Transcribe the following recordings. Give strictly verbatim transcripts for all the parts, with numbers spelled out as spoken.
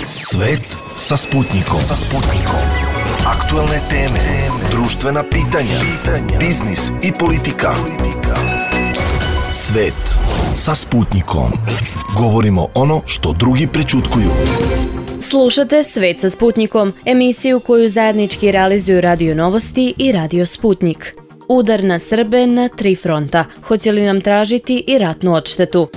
Svet sa Sputnikom. Sa Sputnikom. Aktuelne teme, društvena pitanja, biznis i politika. Svet sa Sputnikom. Govorimo ono što drugi prećutkuju. Slušate Svet sa Sputnikom, emisiju koju zajednički realizuju Radio Novosti i Radio Sputnik. Udar na Srbe na tri fronta. Hoće li nam tražiti i ratnu odštetu?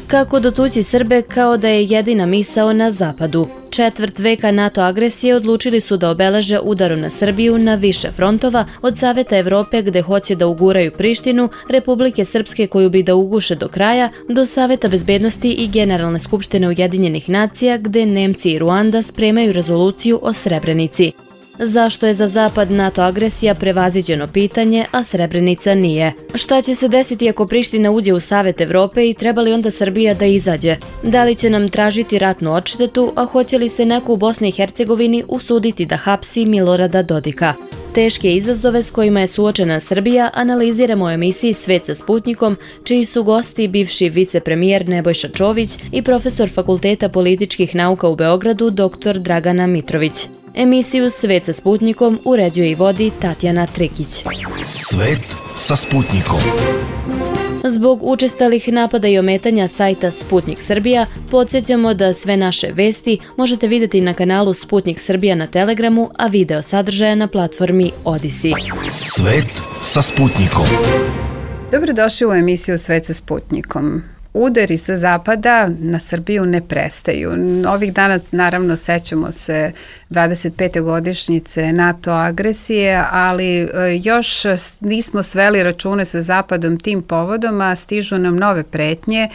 Kako dotući Srbe kao da je jedina misao na zapadu? Četvrt veka NATO agresije odlučili su da obeleže udarom na Srbiju na više frontova, od Saveta Evrope gde hoće da uguraju Prištinu, Republike Srpske koju bi da uguše do kraja, do Saveta bezbednosti i Generalne skupštine Ujedinjenih nacija gde Nemci i Ruanda spremaju rezoluciju o Srebrenici. Zašto je za Zapad NATO agresija prevaziđeno pitanje, a Srebrenica nije? Šta će se desiti ako Priština uđe u Savet Evrope i treba li onda Srbija da izađe? Da li će nam tražiti ratnu odštetu, a hoće li se neko u Bosni i Hercegovini usuditi da hapsi Milorada Dodika? Teške izazove s kojima je suočena Srbija analiziramo u emisiji Svet sa Sputnikom, čiji su gosti bivši vicepremijer Nebojša Čović i profesor Fakulteta političkih nauka u Beogradu dr Dragana Mitrović. Emisiju Svet sa Sputnikom uređuje i vodi Tatjana Trikić. Svet sa Sputnikom. Zbog učestalih napada i ometanja sajta Sputnik Srbija, podsjećamo da sve naše vesti možete vidjeti na kanalu Sputnik Srbija na Telegramu, a video sadržaja na platformi Odisi. Svet sa Sputnikom. Dobrodošli u emisiju Svet sa Sputnikom. Udari sa zapada na Srbiju ne prestaju. Ovih dana naravno sećamo se dvadeset pete godišnjice NATO agresije, ali još nismo sveli račune sa zapadom tim povodom, a stižu nam nove pretnje.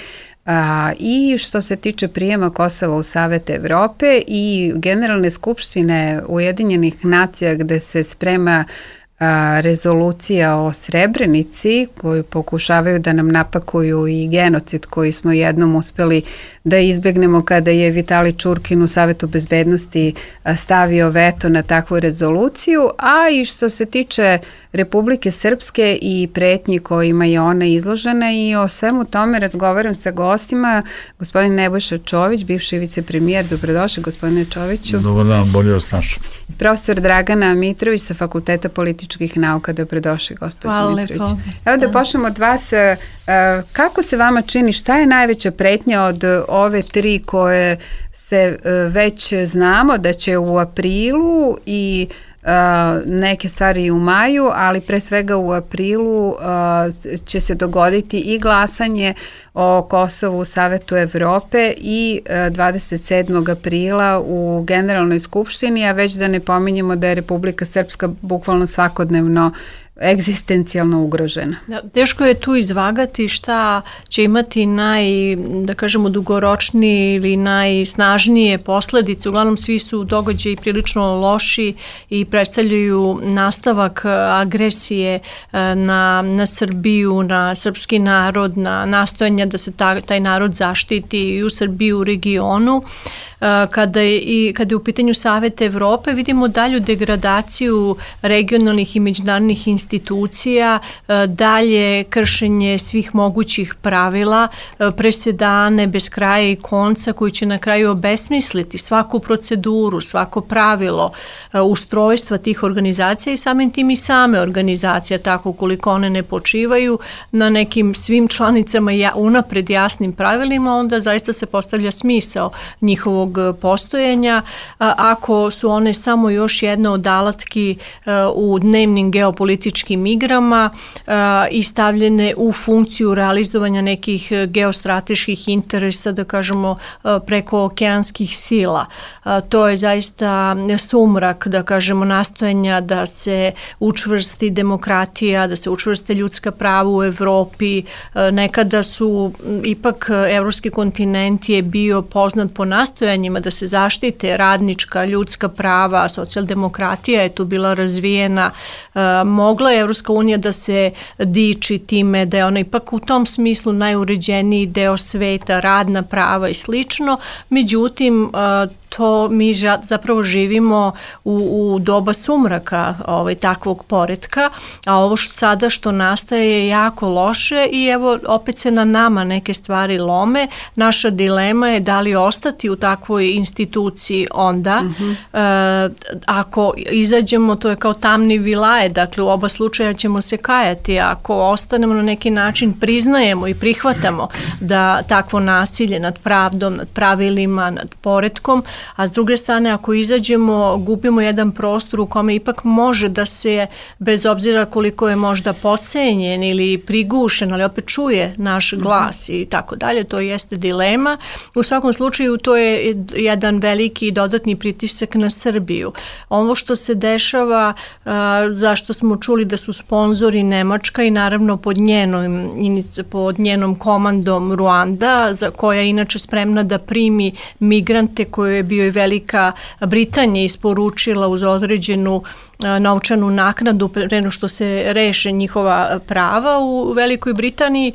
A, i što se tiče prijema Kosova u Savet Evrope i Generalne skupštine Ujedinjenih nacija gde se sprema a, rezolucija o Srebrenici koju pokušavaju da nam napakuju i genocid koji smo jednom uspeli da izbegnemo kada je Vitali Čurkin u Savetu bezbednosti stavio veto na takvu rezoluciju, a i što se tiče Republike Srpske i pretnji kojima je ona izložena, i o svemu tome razgovaram sa gostima. Gospodin Nebojša Čović, bivši vicepremijer, dobrodošli gospodine Čoviću. Dobar dan, bolje vas našao. Profesor Dragana Mitrović sa Fakulteta političkih nauka, dobrodošli gospodin Hvala Mitrović. lepo. Evo da počnemo od vas. Kako se vama čini, šta je najveća pretnja od ove tri koje se već znamo da će u aprilu i Uh, neke stvari u maju, ali pre svega u aprilu uh, će se dogoditi i glasanje o Kosovu u Savetu Evrope i uh, dvadeset sedmog aprila u Generalnoj skupštini, a već da ne pominjemo da je Republika Srpska bukvalno svakodnevno egzistencijalno ugrožena. Da, teško je tu izvagati šta će imati naj, da kažemo, dugoročnije ili najsnažnije posledice. Uglavnom svi su događaji prilično loši i predstavljaju nastavak agresije na, na Srbiju, na srpski narod, na nastojanja da se ta, taj narod zaštiti i u Srbiji, u regionu. Kada je, i, kada je u pitanju Saveta Evrope, vidimo dalju degradaciju regionalnih i međunarodnih institucija, dalje kršenje svih mogućih pravila, presedane bez kraja i konca koji će na kraju obesmisliti svaku proceduru, svako pravilo ustrojstva tih organizacija i samim tim i same organizacije, tako koliko one ne počivaju na nekim svim članicama ja, unapred jasnim pravilima, onda zaista se postavlja smisao njihovog postojanja, ako su one samo još jedna od alatki u dnevnim geopolitičkim igrama i stavljene u funkciju realizovanja nekih geostrateških interesa, da kažemo, preko okeanskih sila. To je zaista sumrak, da kažemo, nastojanja da se učvrsti demokratija, da se učvrste ljudska prava u Evropi. Nekada su, ipak, evropski kontinent je bio poznat po nastojanju da se zaštite radnička, ljudska prava, socijaldemokratija je tu bila razvijena. E, mogla je Evropska unija da se diči time da je ona ipak u tom smislu najuređeniji deo sveta, radna prava i slično. Međutim, e, to mi zapravo živimo u, u doba sumraka ovaj, takvog poretka, a ovo što sada što nastaje je jako loše i evo opet se na nama neke stvari lome. Naša dilema je da li ostati u takvoj instituciji onda. Uh-huh. E, ako izađemo, to je kao tamni vilaje, dakle u oba slučaja ćemo se kajati. Ako ostanemo na neki način, priznajemo i prihvatamo da takvo nasilje nad pravdom, nad pravilima, nad poretkom, a s druge strane ako izađemo, gubimo jedan prostor u kome ipak može da se, bez obzira koliko je možda podcenjen ili prigušen, ali opet čuje naš glas i tako dalje, to jeste dilema. U svakom slučaju to je jedan veliki dodatni pritisak na Srbiju. Ovo što se dešava, zašto smo čuli da su sponzori Nemačka i naravno pod njenom, pod njenom komandom Ruanda, za koja je inače spremna da primi migrante koje je bio i Velika Britanija isporučila uz određenu novčanu naknadu pre nego što se reše njihova prava u Velikoj Britaniji.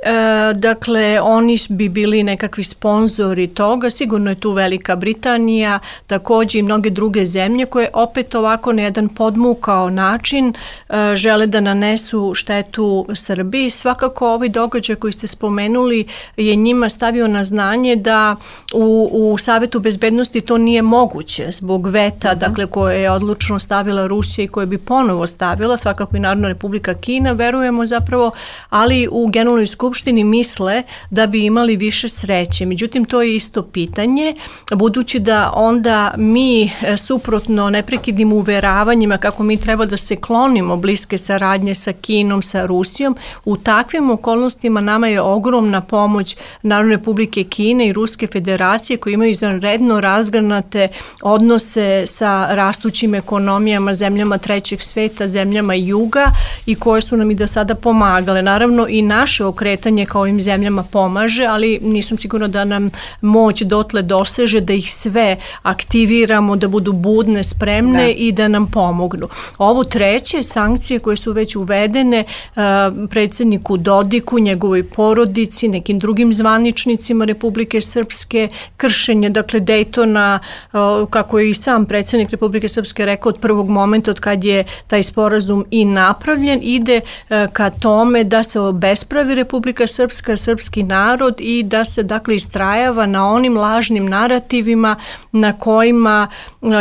E, dakle, oni bi bili nekakvi sponzori toga. Sigurno je tu Velika Britanija, takođe i mnoge druge zemlje koje opet ovako na jedan podmukao način e, žele da nanesu štetu Srbiji. Svakako ovaj događaj koji ste spomenuli je njima stavio na znanje da u, u Savetu bezbednosti to nije moguće zbog veta, uh-huh. dakle, koje je odlučno stavila Rusija i koje bi ponovo stavila, svakako i Narodna Republika Kina, verujemo zapravo, ali u Generalnoj skupštini misle da bi imali više sreće. Međutim, to je isto pitanje, budući da onda mi suprotno neprekidnim uveravanjima kako mi treba da se klonimo bliske saradnje sa Kinom, sa Rusijom, u takvim okolnostima nama je ogromna pomoć Narodne Republike Kine i Ruske federacije koji imaju izvanredno razgranate odnose sa rastućim ekonomijama, zemljama trećeg sveta, zemljama juga i koje su nam i do sada pomagale. Naravno i naše okretanje kao ovim zemljama pomaže, ali nisam sigurna da nam moć dotle doseže da ih sve aktiviramo, da budu budne, spremne da. I da nam pomognu. Ovo treće, sankcije koje su već uvedene uh, predsjedniku Dodiku, njegovoj porodici, nekim drugim zvaničnicima Republike Srpske, kršenje, dakle, Dejtona, uh, kako je i sam predsjednik Republike Srpske rekao od prvog momenta od kad je taj sporazum i napravljen, ide uh, ka tome da se obespravi Republika Srpska, srpski narod i da se, dakle, istrajava na onim lažnim narativima na kojima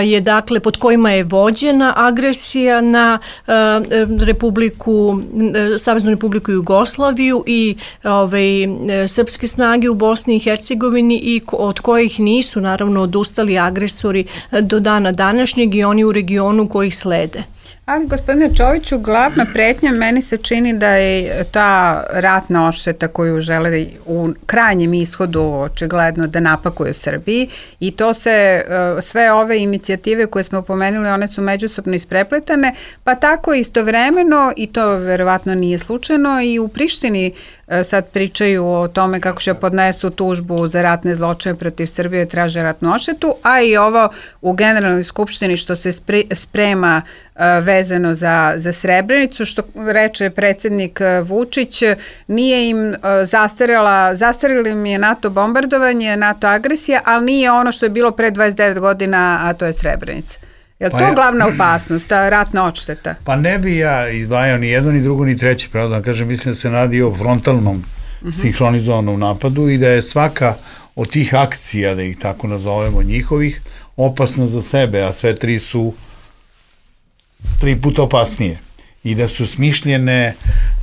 je, dakle, pod kojima je vođena agresija na uh, Republiku, uh, Saveznu Republiku Jugoslaviju i ovaj, srpske snage u Bosni i Hercegovini i od kojih nisu, naravno, odustali agresori do dana današnjeg i oni u regionu koji ih slede. Ali, gospodine Čoviću, glavna pretnja meni se čini da je ta ratna odšteta koju žele u krajnjem ishodu očigledno da napakuju Srbiji i to se, sve ove inicijative koje smo pomenuli, one su međusobno isprepletane, pa tako istovremeno, i to verovatno nije slučajno, i u Prištini sad pričaju o tome kako će podnesu tužbu za ratne zločine protiv Srbije i traže ratnu odštetu, a i ovo u Generalnoj skupštini što se sprema vezano za, za Srebrenicu, što reče predsjednik Vučić, nije im zastarela, zastarilo im je NATO bombardovanje, NATO agresija, ali nije ono što je bilo pre dvadeset devet godina, a to je Srebrenica. Je li pa to ja, glavna opasnost, ta ratna odšteta? Pa ne bi ja izdvajao ni jedno, ni drugo, ni treće, pravda. Kažem, mislim da se radi o frontalnom uh-huh. sinhronizovanom napadu i da je svaka od tih akcija, da ih tako nazovemo, njihovih, opasna za sebe, a sve tri su tri puta opasnije. I da su smišljene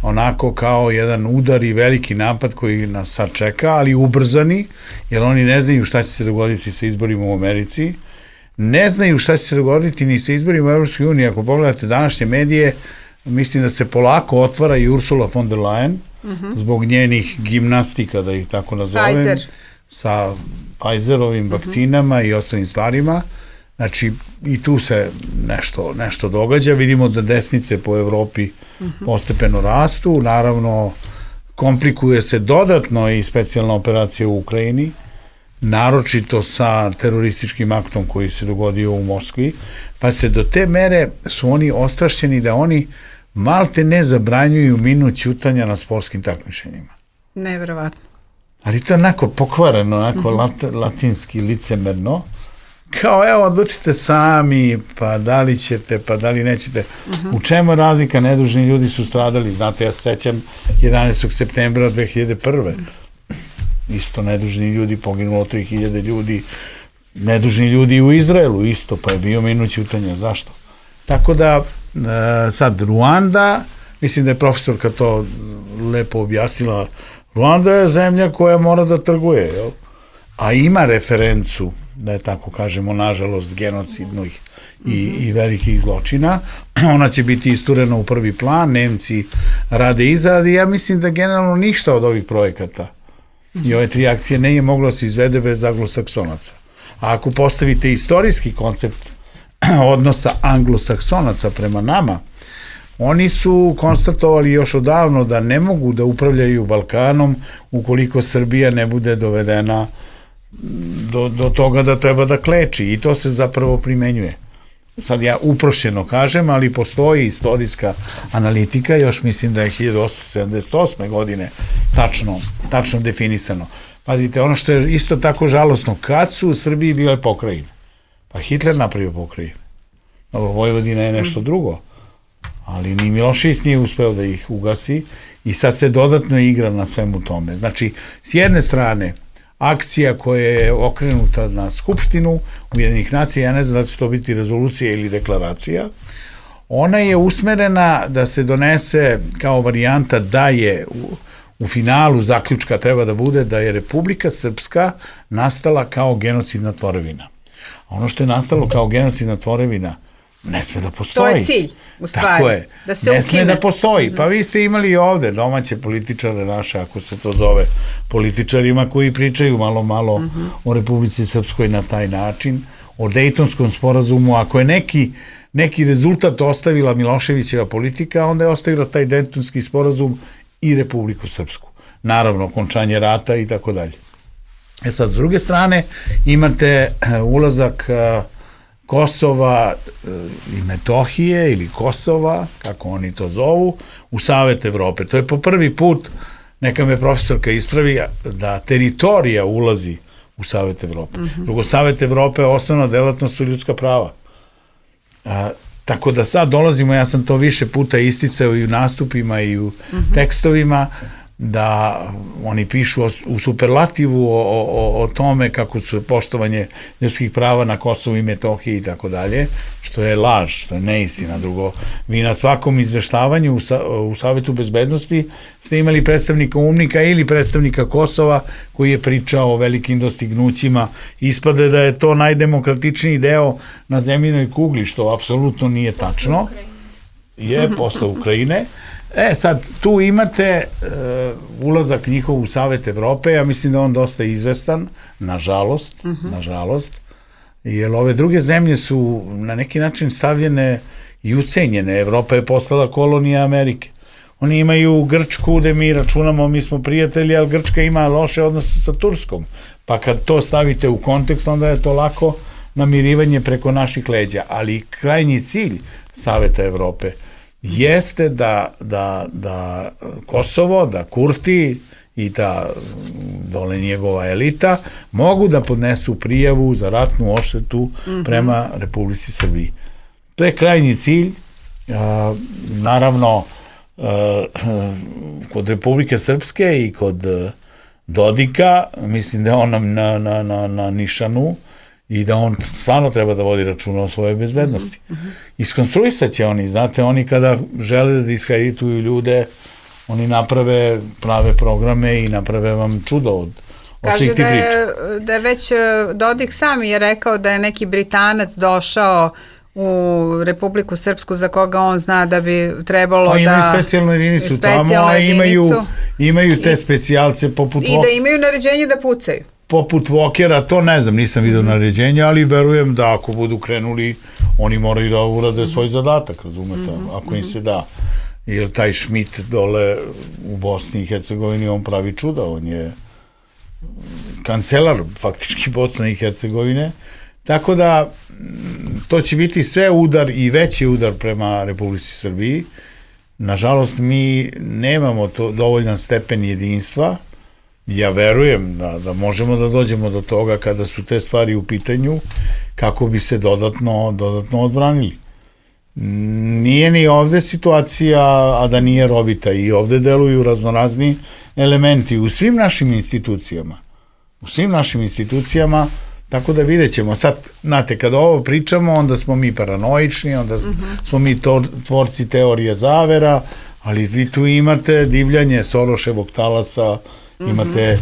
onako kao jedan udar i veliki napad koji nas sad čeka, ali ubrzani, jer oni ne znaju šta će se dogoditi sa izborima u Americi, ne znaju šta će se dogoditi ni sa izborima u Evropskoj uniji. Ako pogledate današnje medije, mislim da se polako otvara i Ursula von der Leyen, uh-huh. zbog njenih gimnastika, da ih tako nazovem, Pfizer. Sa Pfizerovim uh-huh. vakcinama i ostalim stvarima. Znači, i tu se nešto, nešto događa. Vidimo da desnice po Evropi uh-huh. postepeno rastu. Naravno, komplikuje se dodatno i specijalna operacija u Ukrajini, naročito sa terorističkim aktom koji se dogodio u Moskvi, pa se do te mere su oni ostrašćeni da oni malte ne zabranjuju minut ćutanja na sportskim takmičenjima. Neverovatno. Ali to je onako pokvareno, onako uh-huh. lat, latinski, licemerno, kao evo odlučite sami, pa da li ćete, pa da li nećete. Uh-huh. U čemu je razlika? Nedužni ljudi su stradali, znate, ja se sećam jedanaestog septembra dve hiljade prve. Isto nedužni ljudi, poginulo tri hiljade ljudi, nedužni ljudi u Izraelu isto, pa je bio minut ćutanja. Zašto? Tako da, sad, Ruanda, mislim da je profesorka to lepo objasnila, Ruanda je zemlja koja mora da trguje, jel? A ima referencu, da je tako kažemo, nažalost, genocidnih i, i velikih zločina. Ona će biti isturena u prvi plan, Nemci rade izrad i ja mislim da generalno ništa od ovih projekata i ove tri akcije ne je moglo se izvede bez anglosaksonaca. A ako postavite istorijski koncept odnosa anglosaksonaca prema nama, oni su konstatovali još odavno da ne mogu da upravljaju Balkanom ukoliko Srbija ne bude dovedena do, do toga da treba da kleči i to se zapravo primenjuje. Sad ja uprošćeno kažem, ali postoji istorijska analitika, još mislim da je hiljadu osamsto sedamdeset osme godine tačno, tačno definisano. Pazite, ono što je isto tako žalosno, kad su u Srbiji bile pokrajine? Pa Hitler napravio pokrajine. Dobro, Vojvodina je nešto drugo, ali ni Milošević nije uspeo da ih ugasi i sad se dodatno igra na svemu tome. Znači, s jedne strane, akcija koja je okrenuta na Skupštinu Ujedinjenih nacija, ja ne znam da će to biti rezolucija ili deklaracija, ona je usmerena da se donese kao varijanta da je u, u finalu zaključka treba da bude da je Republika Srpska nastala kao genocidna tvorevina. A ono što je nastalo kao genocidna tvorevina ne sme da postoji. To je cilj, u stvari. Tako je. Da se ne sme da postoji. Pa vi ste imali ovde domaće političare naše, ako se to zove političarima koji pričaju malo, malo uh-huh. o Republici Srpskoj na taj način, o Dejtonskom sporazumu. Ako je neki, neki rezultat ostavila Miloševićeva politika, onda je ostavila taj Dejtonski sporazum i Republiku Srpsku. Naravno, končanje rata i tako dalje. E sad, s druge strane, imate ulazak Kosova i Metohije ili Kosova, kako oni to zovu, u Savet Evrope. To je po prvi put, neka me profesorka ispravi, da teritorija ulazi u Savet Evrope. Mm-hmm. Drugo, Savet Evrope, osnovna delatnost su ljudska prava. A, tako da sad dolazimo, ja sam to više puta isticao i u nastupima i u mm-hmm. tekstovima, da oni pišu o, u superlativu o, o, o tome kako su poštovanje ljudskih prava na Kosovu i Metohiji i tako dalje, što je laž, što je neistina. Drugo, vi na svakom izveštavanju u, sa, u Savetu bezbednosti ste imali predstavnika UNMIK-a ili predstavnika Kosova koji je pričao o velikim dostignućima. Ispade da je to najdemokratičniji deo na zemljinoj kugli, što apsolutno nije tačno. Je, posle Ukrajine. E, sad, tu imate uh, ulazak njihov u Savet Evrope, ja mislim da on dosta izvestan, nažalost, uh-huh. nažalost, jer ove druge zemlje su na neki način stavljene i ucenjene. Evropa je postala kolonija Amerike. Oni imaju Grčku, gde mi računamo, mi smo prijatelji, ali Grčka ima loše odnose sa Turskom. Pa kad to stavite u kontekst, onda je to lako namirivanje preko naših leđa. Ali krajnji cilj Saveta Evrope jeste da, da, da Kosovo, da Kurti i da dole njegova elita mogu da podnesu prijavu za ratnu odštetu mm-hmm. prema Republici Srbiji. To je krajnji cilj. A, naravno, a, kod Republike Srpske i kod Dodika, mislim da je on na, na, na, na nišanu i da on stvarno treba da vodi računa o svojoj bezbednosti. Mm-hmm. Iskonstruisat će oni, znate, oni kada žele da diskredituju ljude, oni naprave prave programe i naprave vam čudo od, od svih tih priča. Kaže da je već Dodik sam je rekao da je neki Britanac došao u Republiku Srpsku za koga on zna da bi trebalo pa da... Pa imaju specijalnu jedinicu tamo, a imaju, imaju te specijalce poput... I da imaju naređenje da pucaju. Poput Vokera, to ne znam, nisam vidio naređenja, ali verujem da ako budu krenuli, oni moraju da urade svoj zadatak, razumete, ako im se da. Jer taj Schmidt dole u Bosni i Hercegovini, on pravi čuda, on je kancelar faktički Bosne i Hercegovine, tako da to će biti sve udar i veći udar prema Republici Srbiji. Nažalost, mi nemamo to dovoljan stepen jedinstva. Ja verujem da, da možemo da dođemo do toga kada su te stvari u pitanju, kako bi se dodatno, dodatno odbranili. Nije ni ovde situacija, a da nije rovita, i ovde deluju raznorazni elementi u svim našim institucijama. U svim našim institucijama, tako da vidjet ćemo. Sad, znate, kada ovo pričamo, onda smo mi paranoični, onda uh-huh. smo mi to, tvorci teorije zavera, ali vi tu imate divljanje Soroševog talasa, uh-huh. imate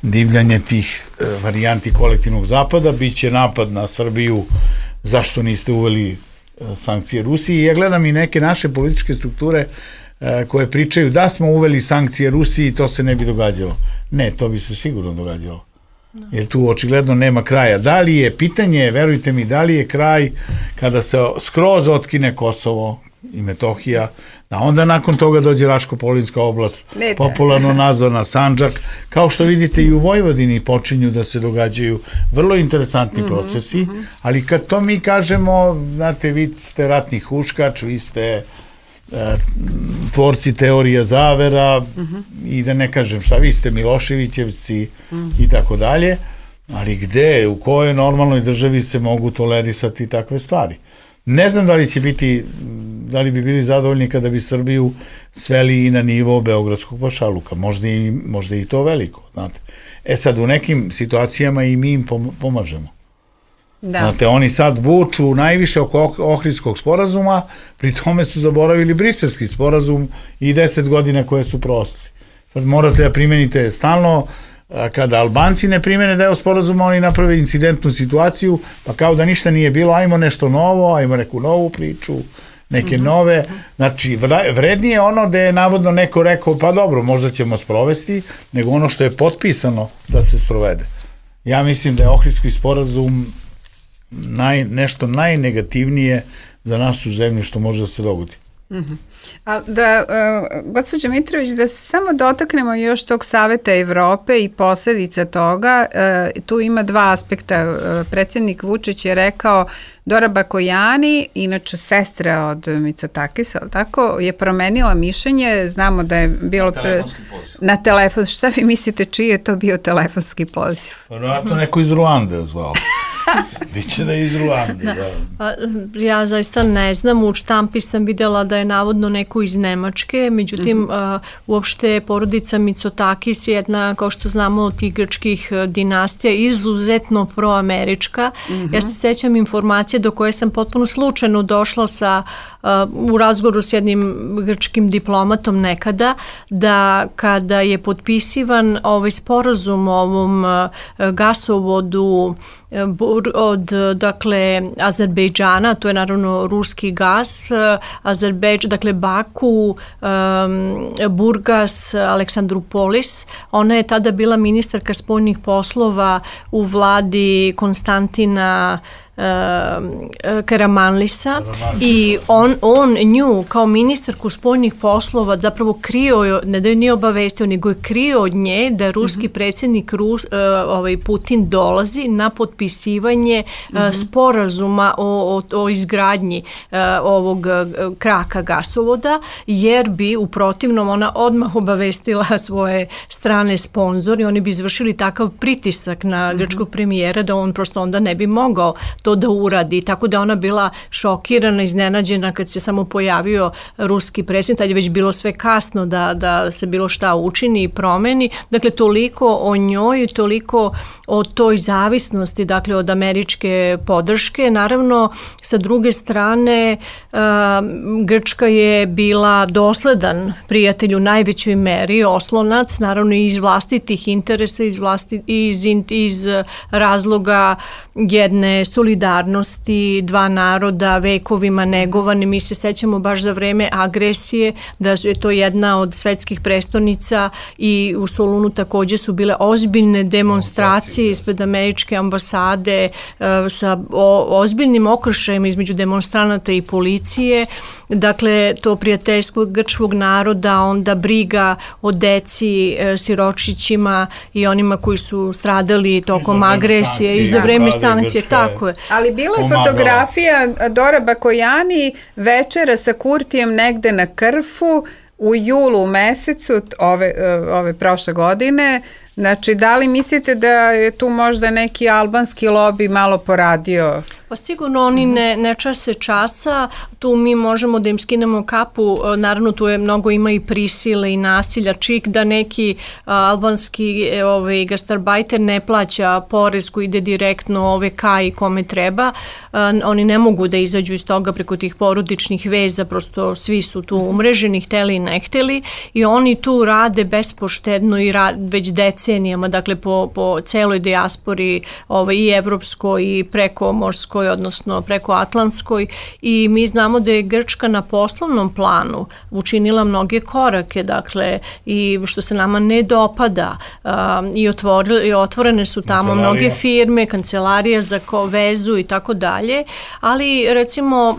divljanje tih e, varijanti kolektivnog zapada, bit će napad na Srbiju, zašto niste uveli e, sankcije Rusiji. I ja gledam i neke naše političke strukture e, koje pričaju da smo uveli sankcije Rusiji, to se ne bi događalo. Ne, to bi se sigurno događalo. Jer tu očigledno nema kraja. Da li je, pitanje, verujte mi, da li je kraj kada se skroz otkine Kosovo i Metohija, da onda nakon toga dođe Raško-Polinska oblast, popularno nazvana Sandžak, kao što vidite i u Vojvodini počinju da se događaju vrlo interesantni mm-hmm, procesi, mm-hmm. ali kad to mi kažemo, znate, vi ste ratni huškač, vi ste tvorci teorija zavera uh-huh. i da ne kažem šta, vi ste Miloševićevci uh-huh. i tako dalje, ali gde, u kojoj normalnoj državi se mogu tolerisati takve stvari? Ne znam da li će biti, da li bi bili zadovoljni kada bi Srbiju sveli i na nivo beogradskog pašaluka, možda i, možda i to veliko, znate. E sad, u nekim situacijama i mi im pomažemo. Da. Znate, oni sad buču najviše oko Ohridskog sporazuma, pri tome su zaboravili Briselski sporazum i deset godina koje su prošli. Sad morate da primenite stalno, kada Albanci ne primene deo sporazuma, oni naprave incidentnu situaciju, pa kao da ništa nije bilo, ajmo nešto novo, ajmo neku novu priču, neke mm-hmm. nove, znači vrednije ono da je navodno neko rekao, pa dobro, možda ćemo sprovesti, nego ono što je potpisano da se sprovede. Ja mislim da je Ohridski sporazum Naj, nešto najnegativnije za našu zemlju što može da se dogodi. Uh-huh. A da, uh, gospođo Mitrović, da se samo dotaknemo još tog Saveta Evrope i posledica toga, uh, tu ima dva aspekta. Uh, predsjednik Vučić je rekao, Dora Bakojani, inače sestra od Mitsotakisa, tako, je promenila mišljenje, znamo da je bilo... Na telefonski poziv. Na telefon, šta vi mislite, čiji je to bio telefonski poziv? Vjerojatno neko iz Ruande zvao. Biće da je iz Ruande. Da. Da. Ja zaista ne znam, u štampi sam vidjela da je navodno neko iz Nemačke, međutim mm-hmm. uh, uopšte porodica Mitsotakis je jedna, kao što znamo, od tih grčkih dinastija, izuzetno proamerička. Mm-hmm. Ja se sećam informacije do koje sam potpuno slučajno došla sa, uh, u razgovoru s jednim grčkim diplomatom nekada, da kada je potpisivan ovaj sporazum o ovom uh, gasovodu od, dakle, Azerbejdžana, to je naravno ruski gas, Azerbejdžan, dakle Baku, um, Burgas, Aleksandrupolis. Ona je tada bila ministarka spoljnih poslova u vladi Konstantina Uh, Karamanlisa i on, on nju kao ministarku spoljnih poslova zapravo krio, ne da je nije obavestio, nego je krio od nje da ruski mm-hmm. predsjednik Rus, uh, ovaj Putin dolazi na potpisivanje uh, mm-hmm. sporazuma o, o, o izgradnji uh, ovog uh, kraka gasovoda, jer bi u protivnom ona odmah obavestila svoje strane sponzori, oni bi izvršili takav pritisak na mm-hmm. grčkog premijera da on prosto onda ne bi mogao to da uradi, tako da ona bila šokirana, iznenađena kad se samo pojavio ruski predsjednik, tad je već bilo sve kasno da, da se bilo šta učini i promeni. Dakle, toliko o njoj, toliko o toj zavisnosti, dakle, od američke podrške. Naravno, sa druge strane, uh, Grčka je bila dosledan prijatelj u najvećoj meri, oslonac, naravno iz vlastitih interesa, iz, vlasti, iz, iz razloga jedne solidarnosti, dva naroda vekovima negovane. Mi se sećamo baš za vreme agresije da je to jedna od svetskih prestolnica i u Solunu takođe su bile ozbiljne demonstracije ispred američke ambasade uh, sa o, ozbiljnim okršajima između demonstranata i policije. Dakle, to prijateljstvo grčkog naroda, onda briga o deci, uh, siročićima i onima koji su stradali tokom agresije i za vreme sankcije, tako je. Ali bila je fotografija Dora Bakojani večera sa Kurtijem negde na Krfu u julu mesecu ove, ove prošle godine, Znači, da li mislite da je tu možda neki albanski lobby malo poradio? Pa sigurno oni ne, ne čase časa, tu mi možemo da im skinemo kapu, naravno tu je mnogo ima i prisile i nasilja, čik da neki a, albanski ovaj, gastarbajter ne plaća porez koji ide direktno ove ka i kome treba, a, oni ne mogu da izađu iz toga preko tih porodičnih veza, prosto svi su tu umreženi, hteli i ne hteli i oni tu rade bespoštedno i ra, već decenijama, dakle po, po celoj dijaspori ovaj, i evropskoj i prekomorskoj, odnosno preko Atlantskoj i mi znamo da je Grčka na poslovnom planu učinila mnoge korake, dakle i što se nama ne dopada um, i, otvorili, i otvorene su tamo kancelarija. Mnoge firme, kancelarija za ko, vezu i tako dalje, ali recimo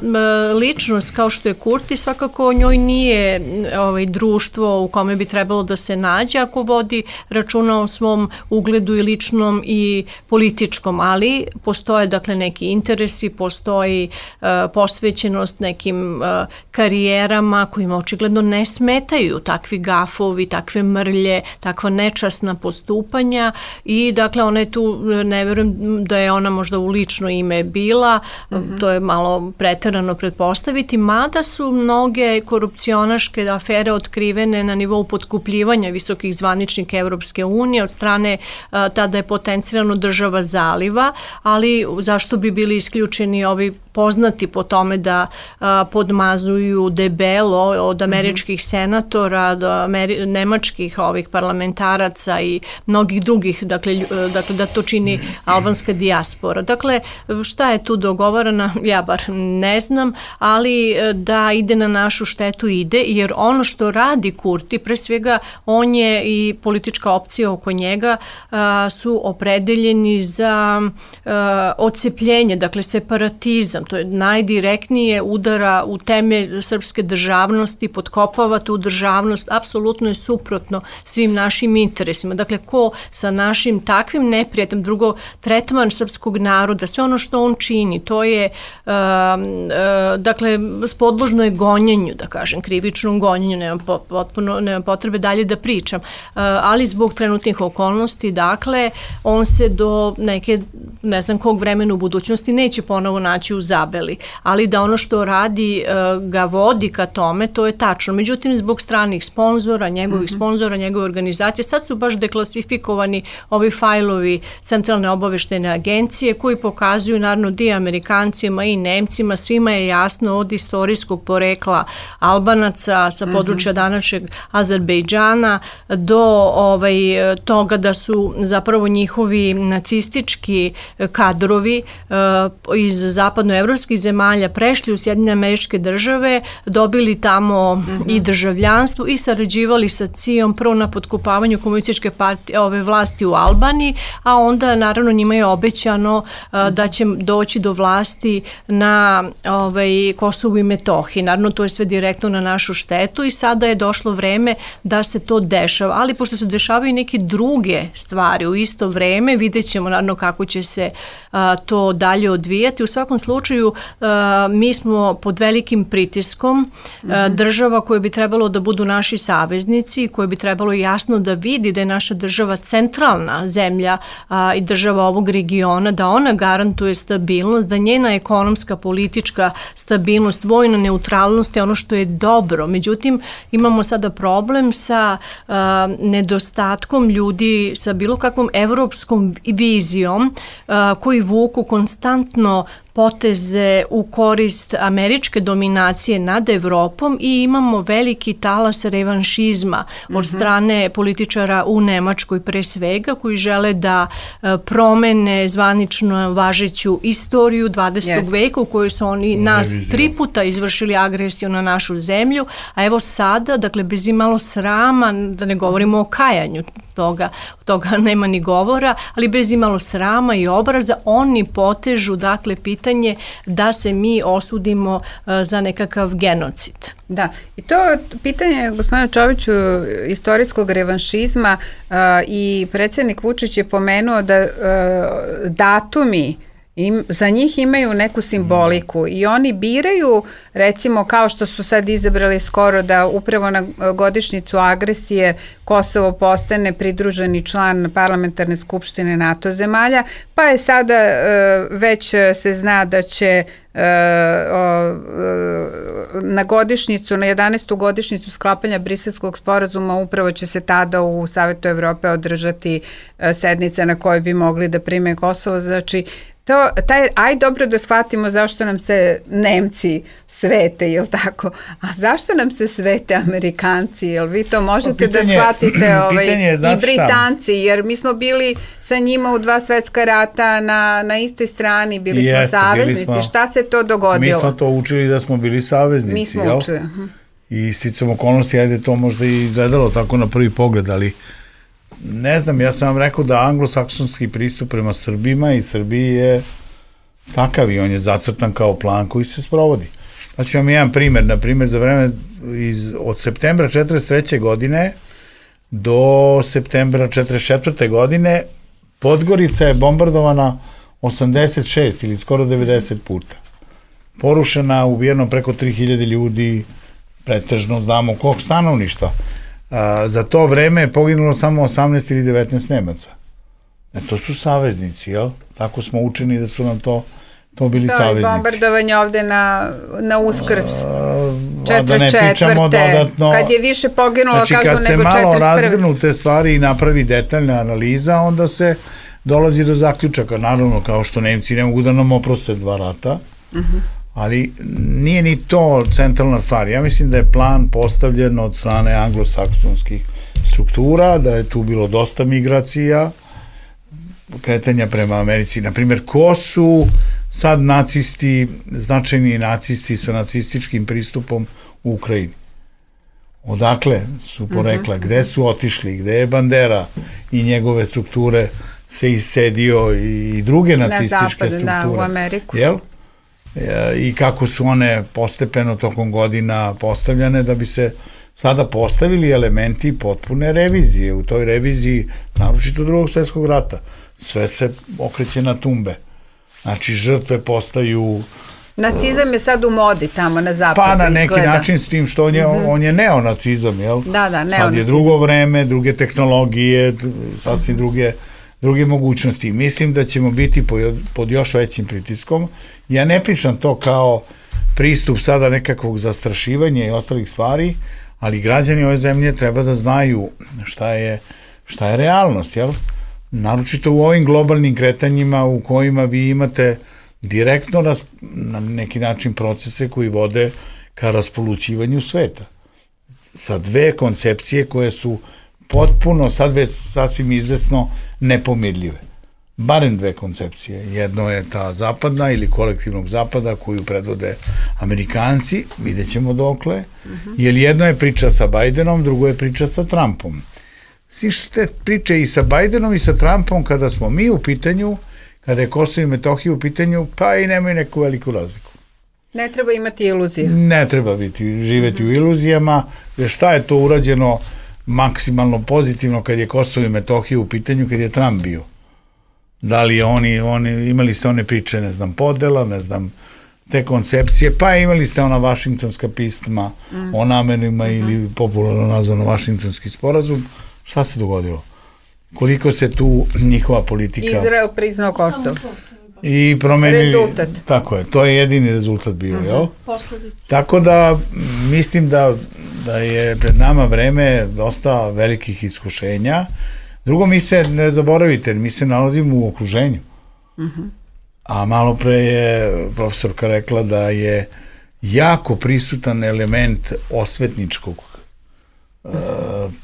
ličnost kao što je Kurti svakako njoj nije ovaj, društvo u kome bi trebalo da se nađe ako vodi računa o svom ugledu i ličnom i političkom, ali postoje dakle neki interesi, postoji uh, posvećenost nekim uh, karijerama kojima očigledno ne smetaju takvi gafovi, takve mrlje, takva nečasna postupanja i dakle ona je tu, ne verujem da je ona možda u lično ime bila, mm-hmm. to je malo preterano pretpostaviti, mada su mnoge korupcionaške afere otkrivene na nivou potkupljivanja visokih zvaničnika Evropske unije od strane uh, tada je potencirano država zaliva, ali zašto bi bili isključeni ovi poznati po tome da a, podmazuju debelo od američkih mm-hmm. senatora do Ameri- nemačkih ovih parlamentaraca i mnogih drugih, dakle, dakle da to čini albanska dijaspora. Dakle, šta je tu dogovoreno, ja bar ne znam, ali da ide na našu štetu ide, jer ono što radi Kurti, pre svega on je i politička opcija oko njega a, su opredeljeni za a, odcepljenje, dakle separatizam, to je najdirektnije udara u temelj srpske državnosti, potkopava tu državnost, apsolutno je suprotno svim našim interesima. Dakle, ko sa našim takvim neprijateljem, drugo, tretman srpskog naroda, sve ono što on čini, to je, uh, uh, dakle, spodložno je gonjenju, da kažem, krivičnom gonjenju, nema, potpuno, nema potrebe dalje da pričam, uh, ali zbog trenutnih okolnosti, dakle, on se do neke, ne znam kog vremena u budućnosti neće ponovo naći u zabeli, ali da ono što radi uh, ga vodi ka tome, to je tačno. Međutim, zbog stranih sponzora, njegovih mm-hmm. sponzora, njegove organizacije, sad su baš deklasifikovani ovi fajlovi Centralne obaveštene agencije koji pokazuju naravno di Amerikancima i Nemcima, svima je jasno od istorijskog porekla Albanaca sa područja mm-hmm. današnjeg Azerbejdžana do ovaj, toga da su zapravo njihovi nacistički kadrovi uh, iz zapadnoevropskih zemalja prešli u Sjedinjene Američke Države, dobili tamo mm-hmm. i državljanstvo i sarađivali sa C I A-om prvo na potkupavanju komunističke partije, ove vlasti u Albaniji, a onda naravno njima je obećano uh, da će doći do vlasti na ovaj, Kosovu i Metohiji. Naravno to je sve direktno na našu štetu i sada je došlo vreme da se to dešava, ali pošto se dešavaju neke druge stvari u isto vreme, vidjet ćemo naravno kako će se uh, to dalje odvijati. U svakom slučaju uh, mi smo pod velikim pritiskom uh, mm-hmm. država koje bi trebalo da budu naši saveznici, koje bi trebalo jasno da vidi da je naša država centralna zemlja uh, i država ovog regiona, da ona garantuje stabilnost, da njena ekonomska, politička stabilnost, vojna neutralnost je ono što je dobro. Međutim, imamo sada problem sa uh, nedostatkom ljudi sa bilo kakvom evropskom vizijom uh, koji vuku konstantno poteze u korist američke dominacije nad Evropom i imamo veliki talas revanšizma od mm-hmm. strane političara u Nemačkoj pre svega koji žele da uh, promene zvanično važeću istoriju dvadesetog veka u kojoj su oni nas tri puta izvršili agresiju na našu zemlju, a evo sada, dakle bez imalo srama, da ne govorimo o kajanju toga, toga nema ni govora, ali bez imalo srama i obraza, oni potežu, dakle, pitanje da se mi osudimo uh, za nekakav genocid. Da, i to pitanje, gospodine Čoviću, istorijskog revanšizma uh, i predsjednik Vučić je pomenuo da uh, datumi Im, za njih imaju neku simboliku i oni biraju, recimo kao što su sad izabrali skoro da upravo na godišnjicu agresije Kosovo postane pridruženi član parlamentarne skupštine NATO zemalja, pa je sada e, već se zna da će e, o, na godišnjicu, na jedanaestu godišnjicu sklapanja Briselskog sporazuma upravo će se tada u Savetu Evrope održati e, sednica na kojoj bi mogli da prime Kosovo, znači to, taj, aj dobro da shvatimo zašto nam se Nemci svete, jel tako? A zašto nam se svete Amerikanci? Jel vi to možete pitanje, da shvatite ovaj, i Britanci? Jer mi smo bili sa njima u dva svetska rata na, na istoj strani, bili smo Jeste, saveznici. Bili smo, šta se to dogodilo? Mi smo to učili da smo bili saveznici. Mi smo jel? učili. Uh-huh. I sticam okolnosti, ajde to možda i gledalo tako na prvi pogled, ali ne znam, ja sam vam rekao da anglosaksonski pristup prema Srbima i Srbiji je takav i on je zacrtan kao plan koji se sprovodi. Znači vam jedan primer, na primjer za vreme iz, od septembra četrdeset treće godine do septembra četrdeset četvrte godine Podgorica je bombardovana osamdeset šest ili skoro devedeset puta. Porušena, ubijeno preko tri hiljade ljudi, pretežno znamo kog stanovništva. A, za to vreme je poginulo samo osamnaest ili devetnaest Nemaca. E, to su saveznici, jel? Tako smo učeni da su nam to, to bili da, saveznici. Da, i bombardovanje ovde na, na Uskrs. četrdeset četvrte Kad je više poginulo, znači, kažu, nego četrdeset prve. Kad se malo razgrnu te stvari i napravi detaljna analiza, onda se dolazi do zaključaka. Naravno, kao što Nemci ne mogu da nam oproste dva rata, uh-huh. ali nije ni to centralna stvar. Ja mislim da je plan postavljen od strane anglosaksonskih struktura, da je tu bilo dosta migracija, kretanja prema Americi. Naprimjer, ko su sad nacisti, značajni nacisti sa nacističkim pristupom u Ukrajini? Odakle su porekla? Uh-huh. Gde su otišli? Gde je Bandera i njegove strukture se isedio i druge nacističke na zapad, strukture? Da, u Ameriku. Jel? I kako su one postepeno tokom godina postavljane da bi se sada postavili elementi potpune revizije. U toj reviziji, naročito drugog svjetskog rata, sve se okreće na tumbe. Znači, žrtve postaju... Nacizam je sad u modi tamo na zapadu. Pa na neki izgleda. način s tim što on je, mm-hmm. on je neonacizam, jel? Da, da, neonacizam. Sad je drugo vreme, druge tehnologije, sasvim druge, druge mogućnosti. Mislim da ćemo biti pod, pod još većim pritiskom. Ja ne pričam to kao pristup sada nekakvog zastrašivanja i ostalih stvari, ali građani ove zemlje treba da znaju šta je, šta je realnost, jel? Naročito u ovim globalnim kretanjima u kojima vi imate direktno ras, na neki način procese koji vode ka raspolućivanju sveta. Sa dve koncepcije koje su potpuno, sad već sasvim izvesno, nepomirljive. Barem dve koncepcije. Jedno je ta zapadna ili kolektivnog zapada koju predvode Amerikanci, vidjet ćemo dokle, uh-huh. jer jedno je priča sa Bajdenom, drugo je priča sa Trumpom. Svi što te priče i sa Bajdenom i sa Trumpom, kada smo mi u pitanju, kada je Kosovo i Metohija u pitanju, pa i nemaju neku veliku razliku. Ne treba imati iluzije. Ne treba biti, živeti mm-hmm. u iluzijama, jer šta je to urađeno maksimalno pozitivno kad je Kosovo i Metohija u pitanju, kad je Trump bio? Da li oni, oni, imali ste one priče, ne znam, podela, ne znam, te koncepcije, pa imali ste ona vašingtonska pisma mm. o namerima mm-hmm. ili popularno nazvano vašingtonski sporazum. Šta se dogodilo? Koliko se tu njihova politika... Izrael priznao Kosovo. I promenili... Rezultat. Tako je, to je jedini rezultat bio, uh-huh. jel? Posledice. Tako da, mislim da, da je pred nama vreme dosta velikih iskušenja. Drugo, mi se, ne zaboravite, mi se nalazimo u okruženju. Uh-huh. A malo pre je profesorka rekla da je jako prisutan element osvetničkog uh,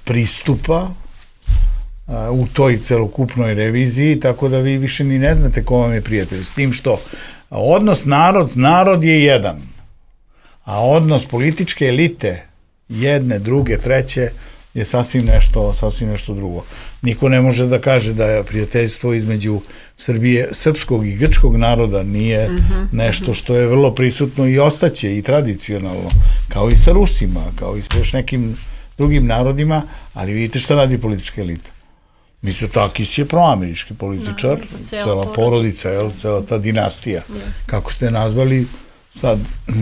pristupa u toj celokupnoj reviziji, tako da vi više ni ne znate ko vam je prijatelj. S tim što odnos narod, narod je jedan, a odnos političke elite, jedne, druge, treće, je sasvim nešto, sasvim nešto drugo. Niko ne može da kaže da je prijateljstvo između Srbije, srpskog i grčkog naroda nije uh-huh, nešto što je vrlo prisutno i ostaće i tradicionalno, kao i sa Rusima, kao i sa još nekim drugim narodima, ali vidite šta radi politička elita. Mitsotakis je proamerički političar, no, cela porodica, jel, cela ta dinastija, yes. kako ste nazvali, sad,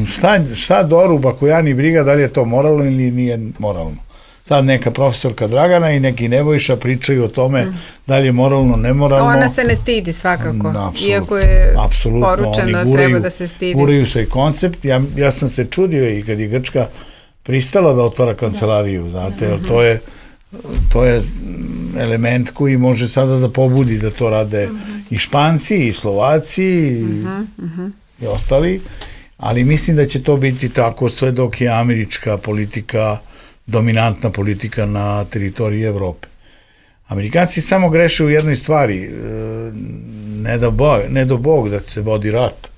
šta, šta doruba koja ni briga da li je to moralno ili nije moralno. Sad neka profesorka Dragana i neki Nebojša pričaju o tome mm. da li je moralno, nemoralno. Ona se ne stidi svakako, Apsolutno, iako je apsolutno, poručeno guraju, treba da se stidi. Guraju se i koncept, ja, ja sam se čudio i kad je Grčka pristala da otvara kancelariju, da. znate, jer to je, to je element koji može sada da pobudi da to rade mm-hmm. i Španci, i Slovaci, mm-hmm. i, i ostali, ali mislim da će to biti tako sve dok je američka politika dominantna politika na teritoriji Evrope. Amerikanci samo greše u jednoj stvari, ne da Bog, ne do Bog da se vodi rat,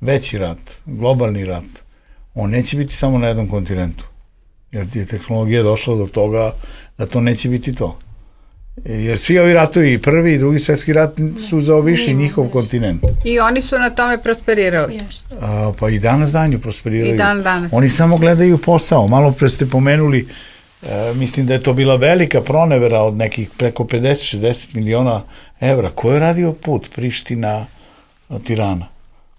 veći rat, globalni rat, on neće biti samo na jednom kontinentu, jer je tehnologija došla do toga da to neće biti to. Jer svi ovi ratovi, prvi i drugi svjetski rat su zaobišli njihov kontinent. I oni su na tome prosperirali. A, pa i danas danju prosperiraju. I dan danas. Oni samo gledaju posao. Malo pre ste pomenuli, e, mislim da je to bila velika pronevera od nekih preko pedeset šezdeset miliona evra. Ko je radio put Priština Tirana?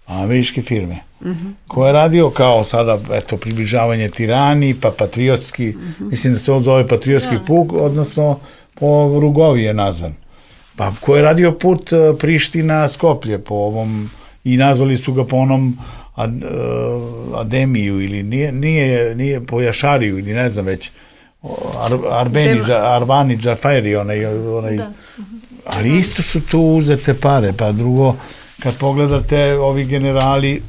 Američke firme. Mm-hmm. Ko je radio kao sada, eto, približavanje Tirani, pa patriotski, mm-hmm. mislim da se on zove patriotski ja. puk, odnosno po Rugovi je nazvan. Pa ko je radio put Priština Skoplje po ovom, i nazvali su ga po onom ad, uh, Ademiju ili nije, nije, nije po Jašariju ili ne znam već Ar, Arbeni, Dema. Arbani Džafari onaj, onaj da. ali isto su tu uzete pare, pa drugo kad pogledate ovi generali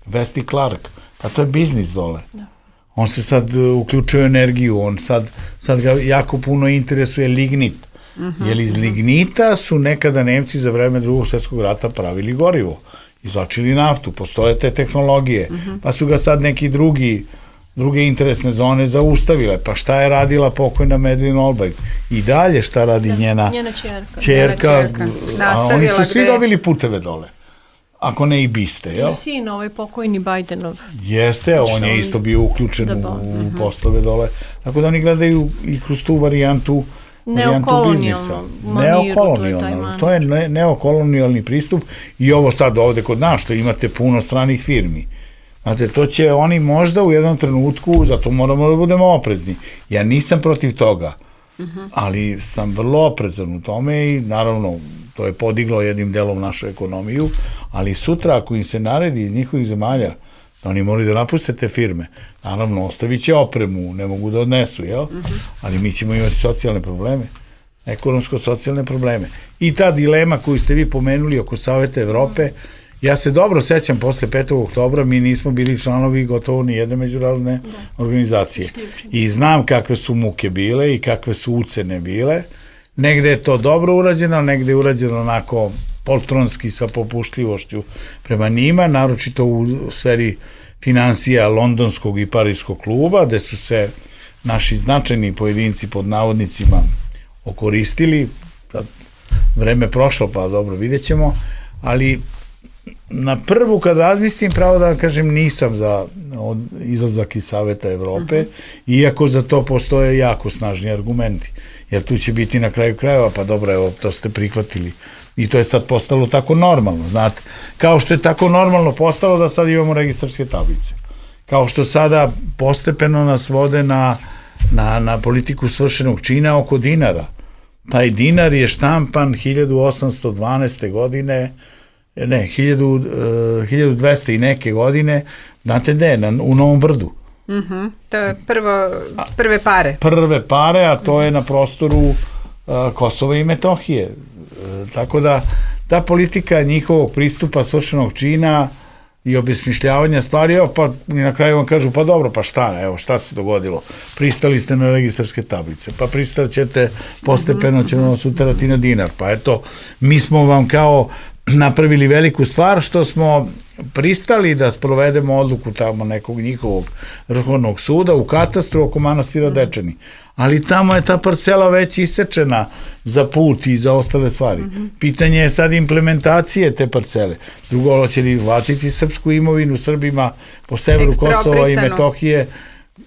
Wesley Clark, pa to je biznis dole. Da. On se sad uključuje u energiju, on sad, sad ga jako puno interesuje lignit. Uh-huh. Jer iz lignita su nekada Nemci za vreme drugog svjetskog rata pravili gorivo, izvlačili naftu, postoje te tehnologije, uh-huh. pa su ga sad neki drugi, druge interesne zone zaustavile. Pa šta je radila pokojna Medlin Albright? I dalje šta radi da, njena, njena čerka? Čerka, a oni su svi dobili puteve dole. Ako ne i biste, jel? I sin, ovaj pokojni Bajdenov. Jeste, on je isto bio uključen u, u poslove dole. Tako da oni gledaju i kroz tu varijantu, varijantu biznisa. Neokolonijalno. To je ne, neokolonijalni pristup i ovo sad ovde kod nas, što imate puno stranih firmi. Znate, to će oni možda u jednom trenutku, zato moramo da budemo oprezni. Ja nisam protiv toga, uh-huh. ali sam vrlo oprezan u tome i naravno to je podiglo jednim delom našu ekonomiju, ali sutra ako im se naredi iz njihovih zemalja da oni moraju da napuste te firme, naravno ostavit će opremu, ne mogu da odnesu, jel? Uh-huh. Ali mi ćemo imati socijalne probleme, ekonomsko-socijalne probleme. I ta dilema koju ste vi pomenuli oko Saveta Evrope, ja se dobro sećam posle petog oktobra, mi nismo bili članovi gotovo ni jedne međunarodne da. organizacije. Isključen. I znam kakve su muke bile i kakve su ucene bile. Negde je to dobro urađeno, negde je urađeno onako poltronski sa popuštljivošću prema njima, naročito u sferi financija Londonskog i Parijskog kluba, gde su se naši značajni pojedinci pod navodnicima okoristili. Vreme prošlo, pa dobro, vidjet ćemo, ali na prvu kad razmislim, pravo da vam kažem, nisam za izlazak iz Saveta Evrope, uh-huh. iako za to postoje jako snažni argumenti. Jer tu će biti na kraju krajeva, pa dobro, evo, to ste prihvatili. I to je sad postalo tako normalno, znate. Kao što je tako normalno postalo da sad imamo registarske tablice. Kao što sada postepeno nas vode na, na, na politiku svršenog čina oko dinara. Taj dinar je štampan hiljadu osamsto dvanaeste. godine, ne, hiljadu dvesta i neke godine, znate gde, na, u Novom Brdu. Uh-huh. To je prvo, prve pare. Prve pare, a to je na prostoru uh, Kosova i Metohije. Uh, tako da ta politika njihovog pristupa svršenog čina i obesmišljavanja stvari, evo pa i na kraju vam kažu, pa dobro, pa šta, evo šta se dogodilo, pristali ste na registarske tablice, pa pristali ćete, postepeno ćemo vas uterati na dinar, pa eto, mi smo vam kao napravili veliku stvar što smo pristali da sprovedemo odluku tamo nekog njihovog vrhovnog suda u katastru oko manastira Dečani. Ali tamo je ta parcela već isečena za put i za ostale stvari. Mm-hmm. Pitanje je sad implementacije te parcele. Drugo, će li vratiti srpsku imovinu Srbima po severu Kosova i Metohije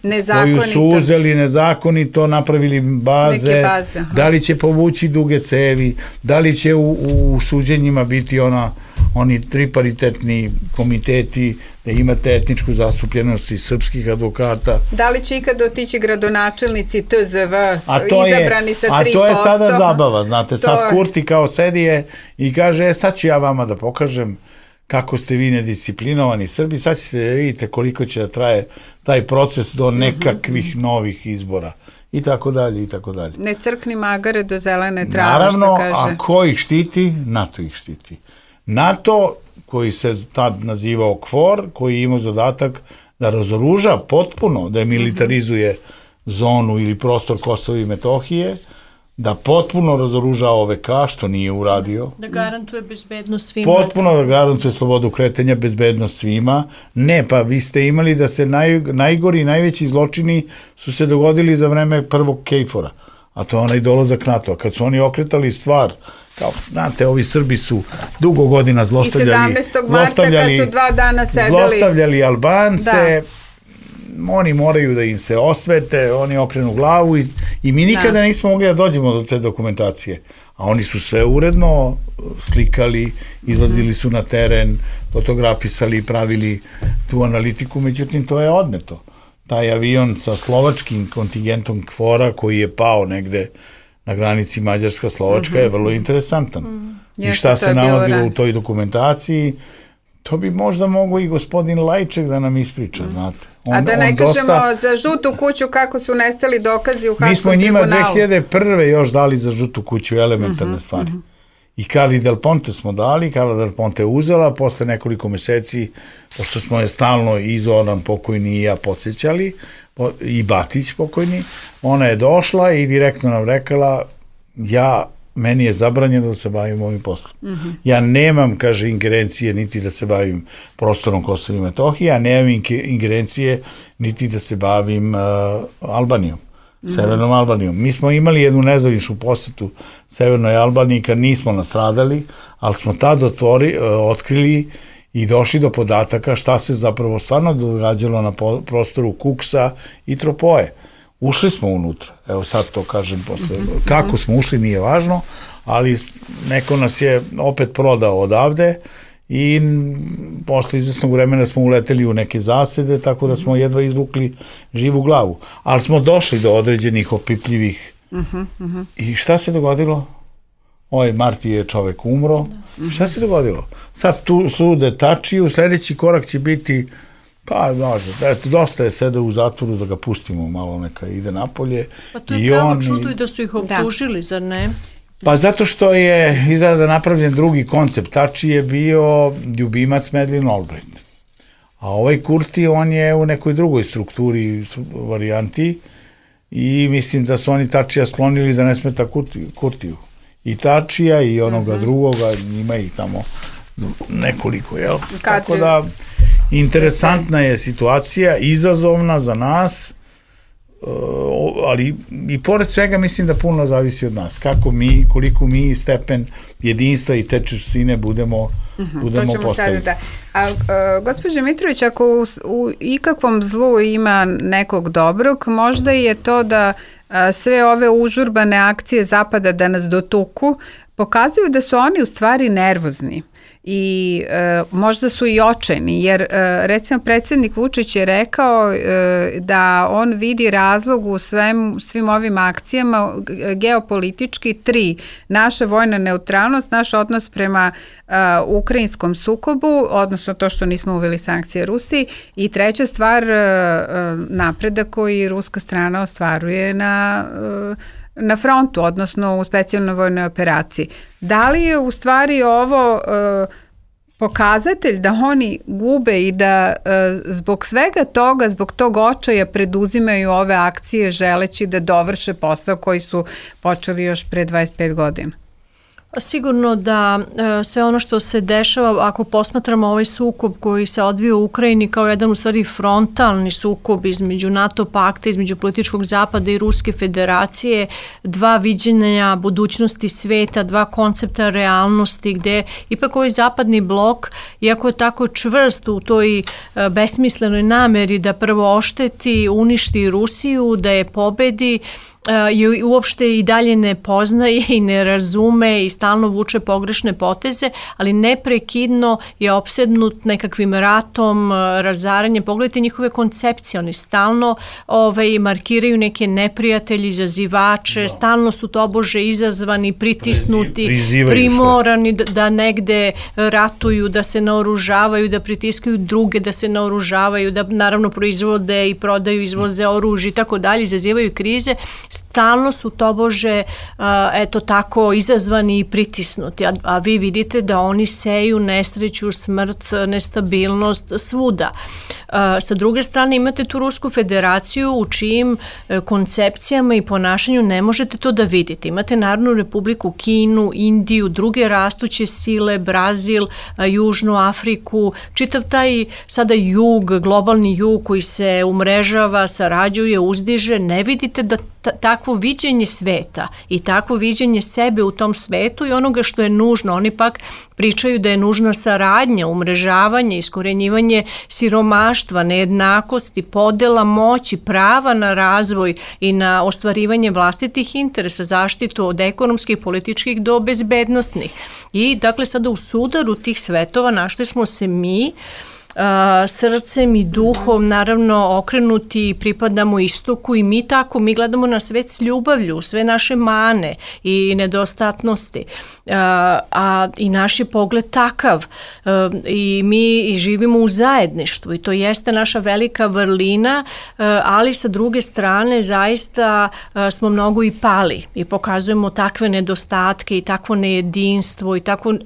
Nezakonito. Koju su uzeli nezakonito, napravili baze, baze da li će povući duge cevi, da li će u, u suđenjima biti ona, oni triparitetni komiteti da imate etničku zastupljenost iz srpskih advokata. Da li će ikad otići gradonačelnici T Z V a to izabrani je, sa tri posto? A to je sada zabava, znate, to sad je... Kurti kao sedije i kaže, e, sad ću ja vama da pokažem kako ste vi nedisciplinovani Srbi, sad ćete da vidite koliko će da traje taj proces do nekakvih novih izbora i tako dalje i tako dalje. Ne crkni magare do zelene trave, naravno, što kaže. a ko ih štiti? NATO ih štiti. NATO, koji se tad nazivao KFOR, koji je imao zadatak da razoruža potpuno, da je militarizuje zonu ili prostor Kosova i Metohije, da potpuno razoruža O V K, što nije uradio. Da garantuje bezbednost svima. Potpuno da garantuje slobodu kretanja, bezbednost svima. Ne, pa vi ste imali da se naj, najgori i najveći zločini su se dogodili za vreme prvog Kejfora, a to je onaj dolazak NATO. Kad su oni okretali stvar, kao, znate, ovi Srbi su dugo godina zlostavljali... I sedamnaestog marta kad su dva dana sedeli... Zlostavljali Albance... Da. Oni moraju da im se osvete, oni okrenu glavu i, i mi nikada da. nismo mogli da dođemo do te dokumentacije. A oni su sve uredno slikali, izlazili su na teren, fotografisali, pravili tu analitiku, međutim to je odneto. Taj avion sa slovačkim kontingentom KFOR-a koji je pao negde na granici Mađarska-Slovačka uh-huh. je vrlo interesantan. Uh-huh. I šta se nalazilo u toj dokumentaciji, to bi možda mogo i gospodin Lajček da nam ispriča, mm. znate. On, a da ne kažemo dosta... za žutu kuću kako su nestali dokazi u Haškom tribunalu. Mi smo njima dve hiljade prve još dali za žutu kuću elementarne mm-hmm, stvari. Mm-hmm. I Carli Del Ponte smo dali, Carla Del Ponte je uzela, posle nekoliko meseci, pošto smo je stalno i Zoran pokojni i ja podsjećali, i Batić pokojni, ona je došla i direktno nam rekala, ja meni je zabranjeno da se bavim ovim poslom. Mm-hmm. Ja nemam, kaže, ingerencije niti da se bavim prostorom Kosova i Metohije, ja nemam ingerencije niti da se bavim uh, Albanijom, mm-hmm. Severnom Albanijom. Mi smo imali jednu nezvaničnu posetu Severnoj Albaniji kad nismo nastradali, ali smo tad otvori, uh, otkrili i došli do podataka šta se zapravo stvarno događalo na po, prostoru Kuksa i Tropoje. Ušli smo unutra, evo sad to kažem posle, kako smo ušli nije važno, ali neko nas je opet prodao odavde i posle izvesnog vremena smo uleteli u neke zasede, tako da smo jedva izvukli živu glavu. Ali smo došli do određenih opipljivih. I šta se dogodilo? Ovaj Marti je čovek umro. Šta se dogodilo? Sad tu sude tačiju, sledeći korak će biti pa, možda, eto, dosta je sada u zatvoru da ga pustimo malo neka ide napolje. Pa to je pravo čudo i da su ih optužili, da. Zar ne? Pa zato što je izgleda napravljen drugi koncept. Tači je bio ljubimac Madeleine Albright. A ovaj Kurti, on je u nekoj drugoj strukturi, varijanti i mislim da su oni Tačija sklonili da ne smeta Kurtiju. I Tačija i onoga uh-huh. drugoga, ima ih tamo nekoliko, jel? Katri. Tako da interesantna je situacija, izazovna za nas, ali i pored svega mislim da puno zavisi od nas. Kako mi, koliko mi stepen jedinstva i te čvrstine budemo, uh-huh, budemo postaviti. Da. A, a gospođo Mitrović, ako u, u ikakvom zlu ima nekog dobrog, možda je to da a, sve ove užurbane akcije Zapada da nas dotuku, pokazuju da su oni u stvari nervozni. I e, možda su i očajni, jer e, recimo predsjednik Vučić je rekao e, da on vidi razlog u svem, svim ovim akcijama geopolitički tri, naša vojna neutralnost, naš odnos prema e, ukrajinskom sukobu, odnosno to što nismo uveli sankcije Rusiji i treća stvar e, napredak koji ruska strana ostvaruje na e, na frontu, odnosno u specijalnoj vojnoj operaciji. Da li je u stvari ovo e, pokazatelj da oni gube i da e, zbog svega toga, zbog tog očaja preduzimaju ove akcije želeći da dovrše posao koji su počeli još pre dvadeset pet godina? Sigurno da e, sve ono što se dešava, ako posmatramo ovaj sukob koji se odvija u Ukrajini kao jedan u stvari frontalni sukob između NATO pakta, između političkog zapada i Ruske federacije, dva viđenja budućnosti sveta, dva koncepta realnosti gde ipak ovaj zapadni blok, iako je tako čvrst u toj e, besmislenoj nameri da prvo ošteti, uništi Rusiju, da je pobedi, i uopšte i dalje ne poznaje i ne razume i stalno vuče pogrešne poteze, ali neprekidno je opsednut nekakvim ratom, razaranjem. Pogledajte njihove koncepcije, oni stalno ovaj, markiraju neke neprijatelji, izazivače, no. stalno su tobože izazvani, pritisnuti, Priziv, primorani da, da negde ratuju, da se naoružavaju, da pritiskaju druge, da se naoružavaju, da naravno proizvode i prodaju, izvoze oružje i tako dalje, izazivaju krize. Stalno su tobože, eto tako, izazvani i pritisnuti, a, a vi vidite da oni seju nesreću, smrt, nestabilnost svuda. Sa druge strane imate tu Rusku federaciju u čijim koncepcijama i ponašanju ne možete to da vidite. Imate Narodnu republiku Kinu, Indiju, druge rastuće sile, Brazil, Južnu Afriku, čitav taj sada jug, globalni jug koji se umrežava, sarađuje, uzdiže, ne vidite da takvo viđenje sveta i takvo viđenje sebe u tom svetu i onoga što je nužno. Oni pak pričaju da je nužna saradnja, umrežavanje, iskorenjivanje siromaštva, nejednakosti, podela moći, prava na razvoj i na ostvarivanje vlastitih interesa, zaštitu od ekonomskih, političkih do bezbednosnih. I dakle sada u sudaru tih svetova našli smo se mi, Uh, srcem i duhom naravno okrenuti, pripadamo istoku i mi tako, mi gledamo na svet s ljubavlju, sve naše mane i nedostatnosti, uh, a i naš je pogled takav uh, i mi i živimo u zajedništvu i to jeste naša velika vrlina, uh, ali sa druge strane zaista uh, smo mnogo i pali i pokazujemo takve nedostatke i takvo nejedinstvo i tako uh,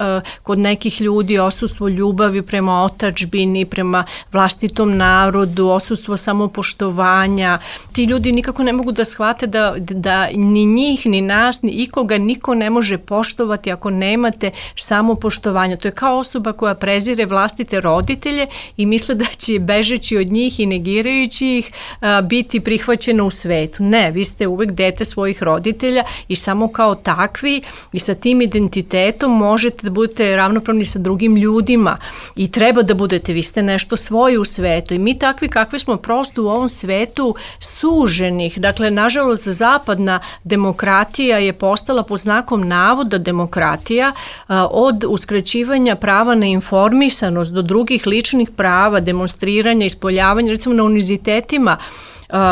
kod nekih ljudi odsustvo ljubavi prema otadžbini, prema vlastitom narodu, odsustvo samopoštovanja. Ti ljudi nikako ne mogu da shvate da, da ni njih, ni nas, ni ikoga niko ne može poštovati ako nemate samopoštovanja. To je kao osoba koja prezire vlastite roditelje i misle da će bežeći od njih i negirajući ih a, biti prihvaćena u svetu. Ne, vi ste uvek dete svojih roditelja i samo kao takvi i sa tim identitetom možete da budete ravnopravni sa drugim ljudima i treba da budete, vi ste nešto svoje u svetu i mi takvi kakvi smo prosto u ovom svetu suženih. Dakle, nažalost, zapadna demokratija je postala po znakom navoda demokratija a, od uskraćivanja prava na informisanost do drugih ličnih prava, demonstriranja, ispoljavanja, recimo na univerzitetima,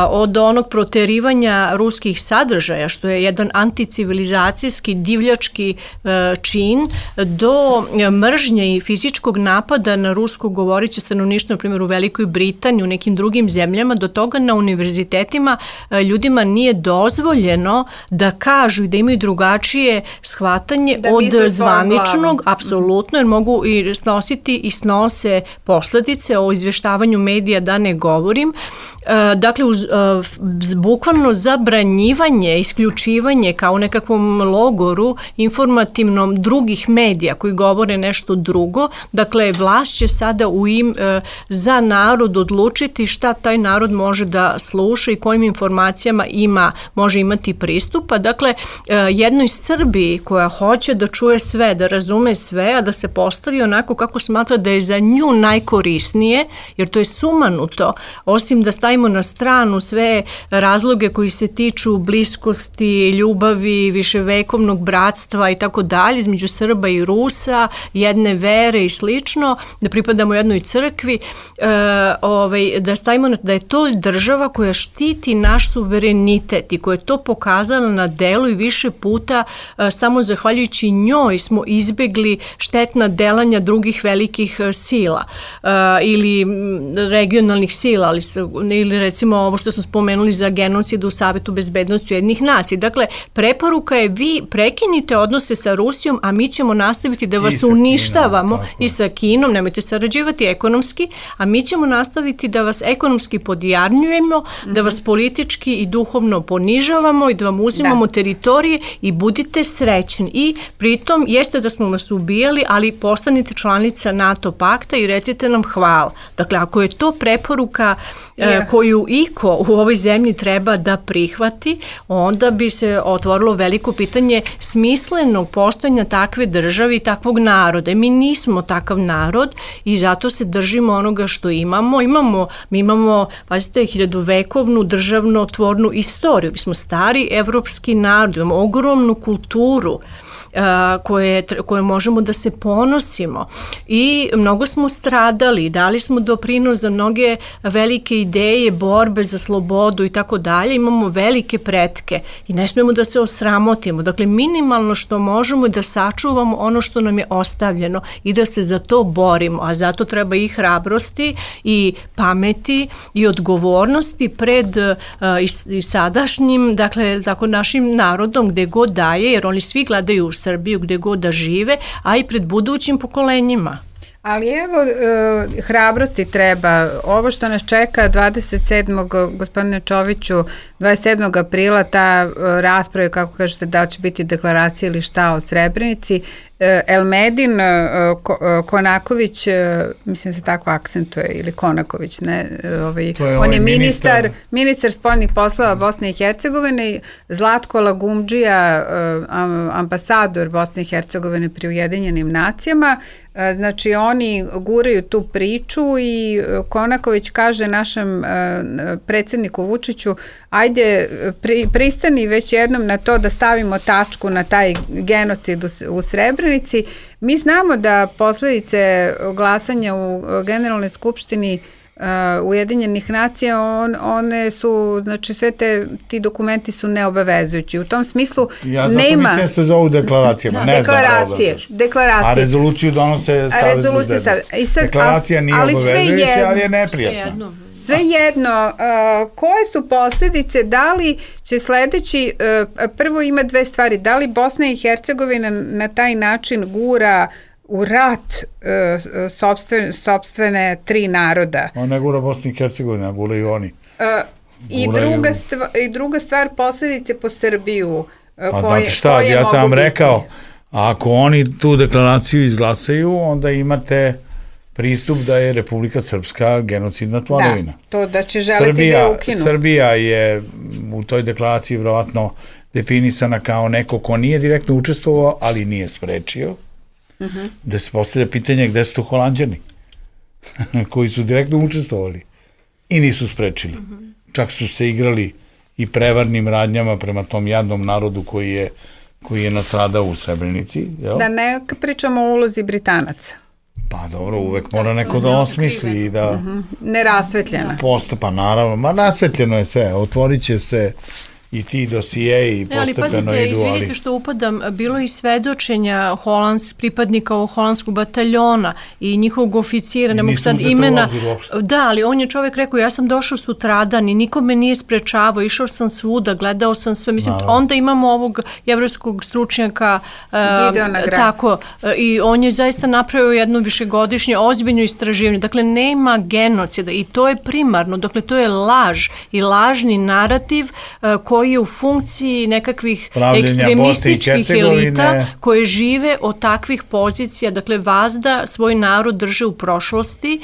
od onog proterivanja ruskih sadržaja, što je jedan anticivilizacijski, divljački čin, do mržnje i fizičkog napada na rusko govoreće stanovništvo, na primjer u Velikoj Britaniji, u nekim drugim zemljama, do toga na univerzitetima ljudima nije dozvoljeno da kažu i da imaju drugačije shvatanje da od zvaničnog, apsolutno, jer mogu i snositi i snose posledice, o izveštavanju medija da ne govorim. Dakle, uz uh, bukvalno zabranjivanje, isključivanje kao u nekakvom logoru informativnom drugih medija koji govore nešto drugo. Dakle, vlast će sada u im, uh, za narod odlučiti šta taj narod može da sluša i kojim informacijama ima, može imati pristupa. Dakle, uh, jednoj Srbiji koja hoće da čuje sve, da razume sve, a da se postavi onako kako smatra da je za nju najkorisnije, jer to je sumanuto, osim da stavimo na stranu sve razloge koji se tiču bliskosti, ljubavi, viševekovnog bratstva i tako dalje između Srba i Rusa, jedne vere i slično, da pripadamo jednoj crkvi, e, ovaj, da stavimo da je to država koja štiti naš suverenitet i koja je to pokazala na delu i više puta, e, samo zahvaljujući njoj smo izbegli štetna delanja drugih velikih sila e, ili regionalnih sila, ali, ili recimo ovo što smo spomenuli za genocid u Savetu bezbednosti Ujedinjenih nacija. Dakle, preporuka je vi prekinite odnose sa Rusijom, a mi ćemo nastaviti da vas uništavamo Kinom, i sa Kinom, nemojte sarađivati ekonomski, a mi ćemo nastaviti da vas ekonomski podjarnjujemo, mm-hmm. da vas politički i duhovno ponižavamo i da vam uzimamo da. teritorije i budite srećni. I pritom jeste da smo vas ubijali, ali postanite članica NATO pakta i recite nam hvala. Dakle, ako je to preporuka yeah. koju iko u ovoj zemlji treba da prihvati, onda bi se otvorilo veliko pitanje smislenog postojanja takve države i takvog naroda. I mi nismo takav narod i zato se držimo onoga što imamo. Imamo, mi imamo, pazite, hiljadovekovnu državnotvornu istoriju. Mi smo stari evropski narod, imamo ogromnu kulturu koje, koje možemo da se ponosimo i mnogo smo stradali, dali smo doprinos za mnoge velike ideje, borbe za slobodu i tako dalje, imamo velike pretke i ne smijemo da se osramotimo. Dakle, minimalno što možemo je da sačuvamo ono što nam je ostavljeno i da se za to borimo, a zato treba i hrabrosti i pameti i odgovornosti pred uh, i, i sadašnjim, dakle, tako našim narodom gde god daje, jer oni svi gledaju u Srbiju gde god da žive, a i pred budućim pokolenjima. Ali evo, uh, hrabrosti treba. Ovo što nas čeka dvadeset sedmog gospodine Čoviću, dvadeset sedmog aprila, ta uh, rasprava, kako kažete, da će biti deklaracija ili šta o Srebrenici, uh, Elmedin uh, Ko, uh, Konaković, uh, mislim se tako akcentuje, ili Konaković, ne, uh, ovaj, je on ovaj je ministar, ministar, ministar spoljnih poslova Bosne i Hercegovine, Zlatko Lagumdžija, uh, ambasador Bosne i Hercegovine pri Ujedinjenim nacijama. Znači, oni guraju tu priču i Konaković kaže našem predsjedniku Vučiću, ajde, pri, pristani već jednom na to da stavimo tačku na taj genocid u, u Srebrenici. Mi znamo da posledice glasanja u Generalnoj skupštini Uh, Ujedinjenih nacija, on, one su, znači sve te, ti dokumenti su neobavezujući. U tom smislu ja zato nema... mislim se zovu deklaracijama, da, ne deklaracije, znam deklaracije. A rezoluciju donose Savez bezbednosti. Deklaracija nije ali obavezujuća, ali je neprijatna. Sve jedno, uh, koje su posljedice, da li će sledeći, uh, prvo ima dve stvari, da li Bosna i Hercegovina na taj način gura u rat uh, sopstvene, sopstvene tri naroda. On ne gura Bosni i Hercegovina, gura i oni. Uh, i, druga stvar, I druga stvar, posljedice po Srbiju. Uh, pa koje, znate šta, ja sam vam rekao, ako oni tu deklaraciju izglasaju, onda imate pristup da je Republika Srpska genocidna tvorevina. Da, to da će želiti Srbija, da je ukinu. Srbija je u toj deklaraciji vjerovatno definisana kao neko ko nije direktno učestvovao, ali nije sprečio. Uh-huh. Da se postavlja pitanje gde su to Holanđani koji su direktno učestvovali i nisu sprečili. Uh-huh. Čak su se igrali i prevarnim radnjama prema tom jadnom narodu koji je, koji je nastradao u Srebrenici. Jel? Da ne pričamo o ulozi Britanaca. Pa dobro, uvek mora neko da osmisli i da... Uh-huh. Nerasvetljena. Posto, pa naravno, ma rasvetljeno je sve, otvorit će se i ti dosije i postepeno idu, ali... Ali pazite, izvidite što upadam, bilo i svedočenja holans, pripadnika ovog holandskog bataljona i njihovog oficira, ne mogu sad imena... Da, ali on je čovjek rekao, ja sam došao sutradan i niko me nije sprečavao, išao sam svuda, gledao sam sve, mislim, no. Onda imamo ovog jevrejskog stručnjaka, uh, tako, uh, i on je zaista napravio jedno višegodišnje ozbiljno istraživanje, dakle, nema genocida i to je primarno, dakle, to je laž i lažni narativ uh, koji koji je u funkciji nekakvih ekstremističkih elita koje žive od takvih pozicija, dakle vazda svoj narod drže u prošlosti,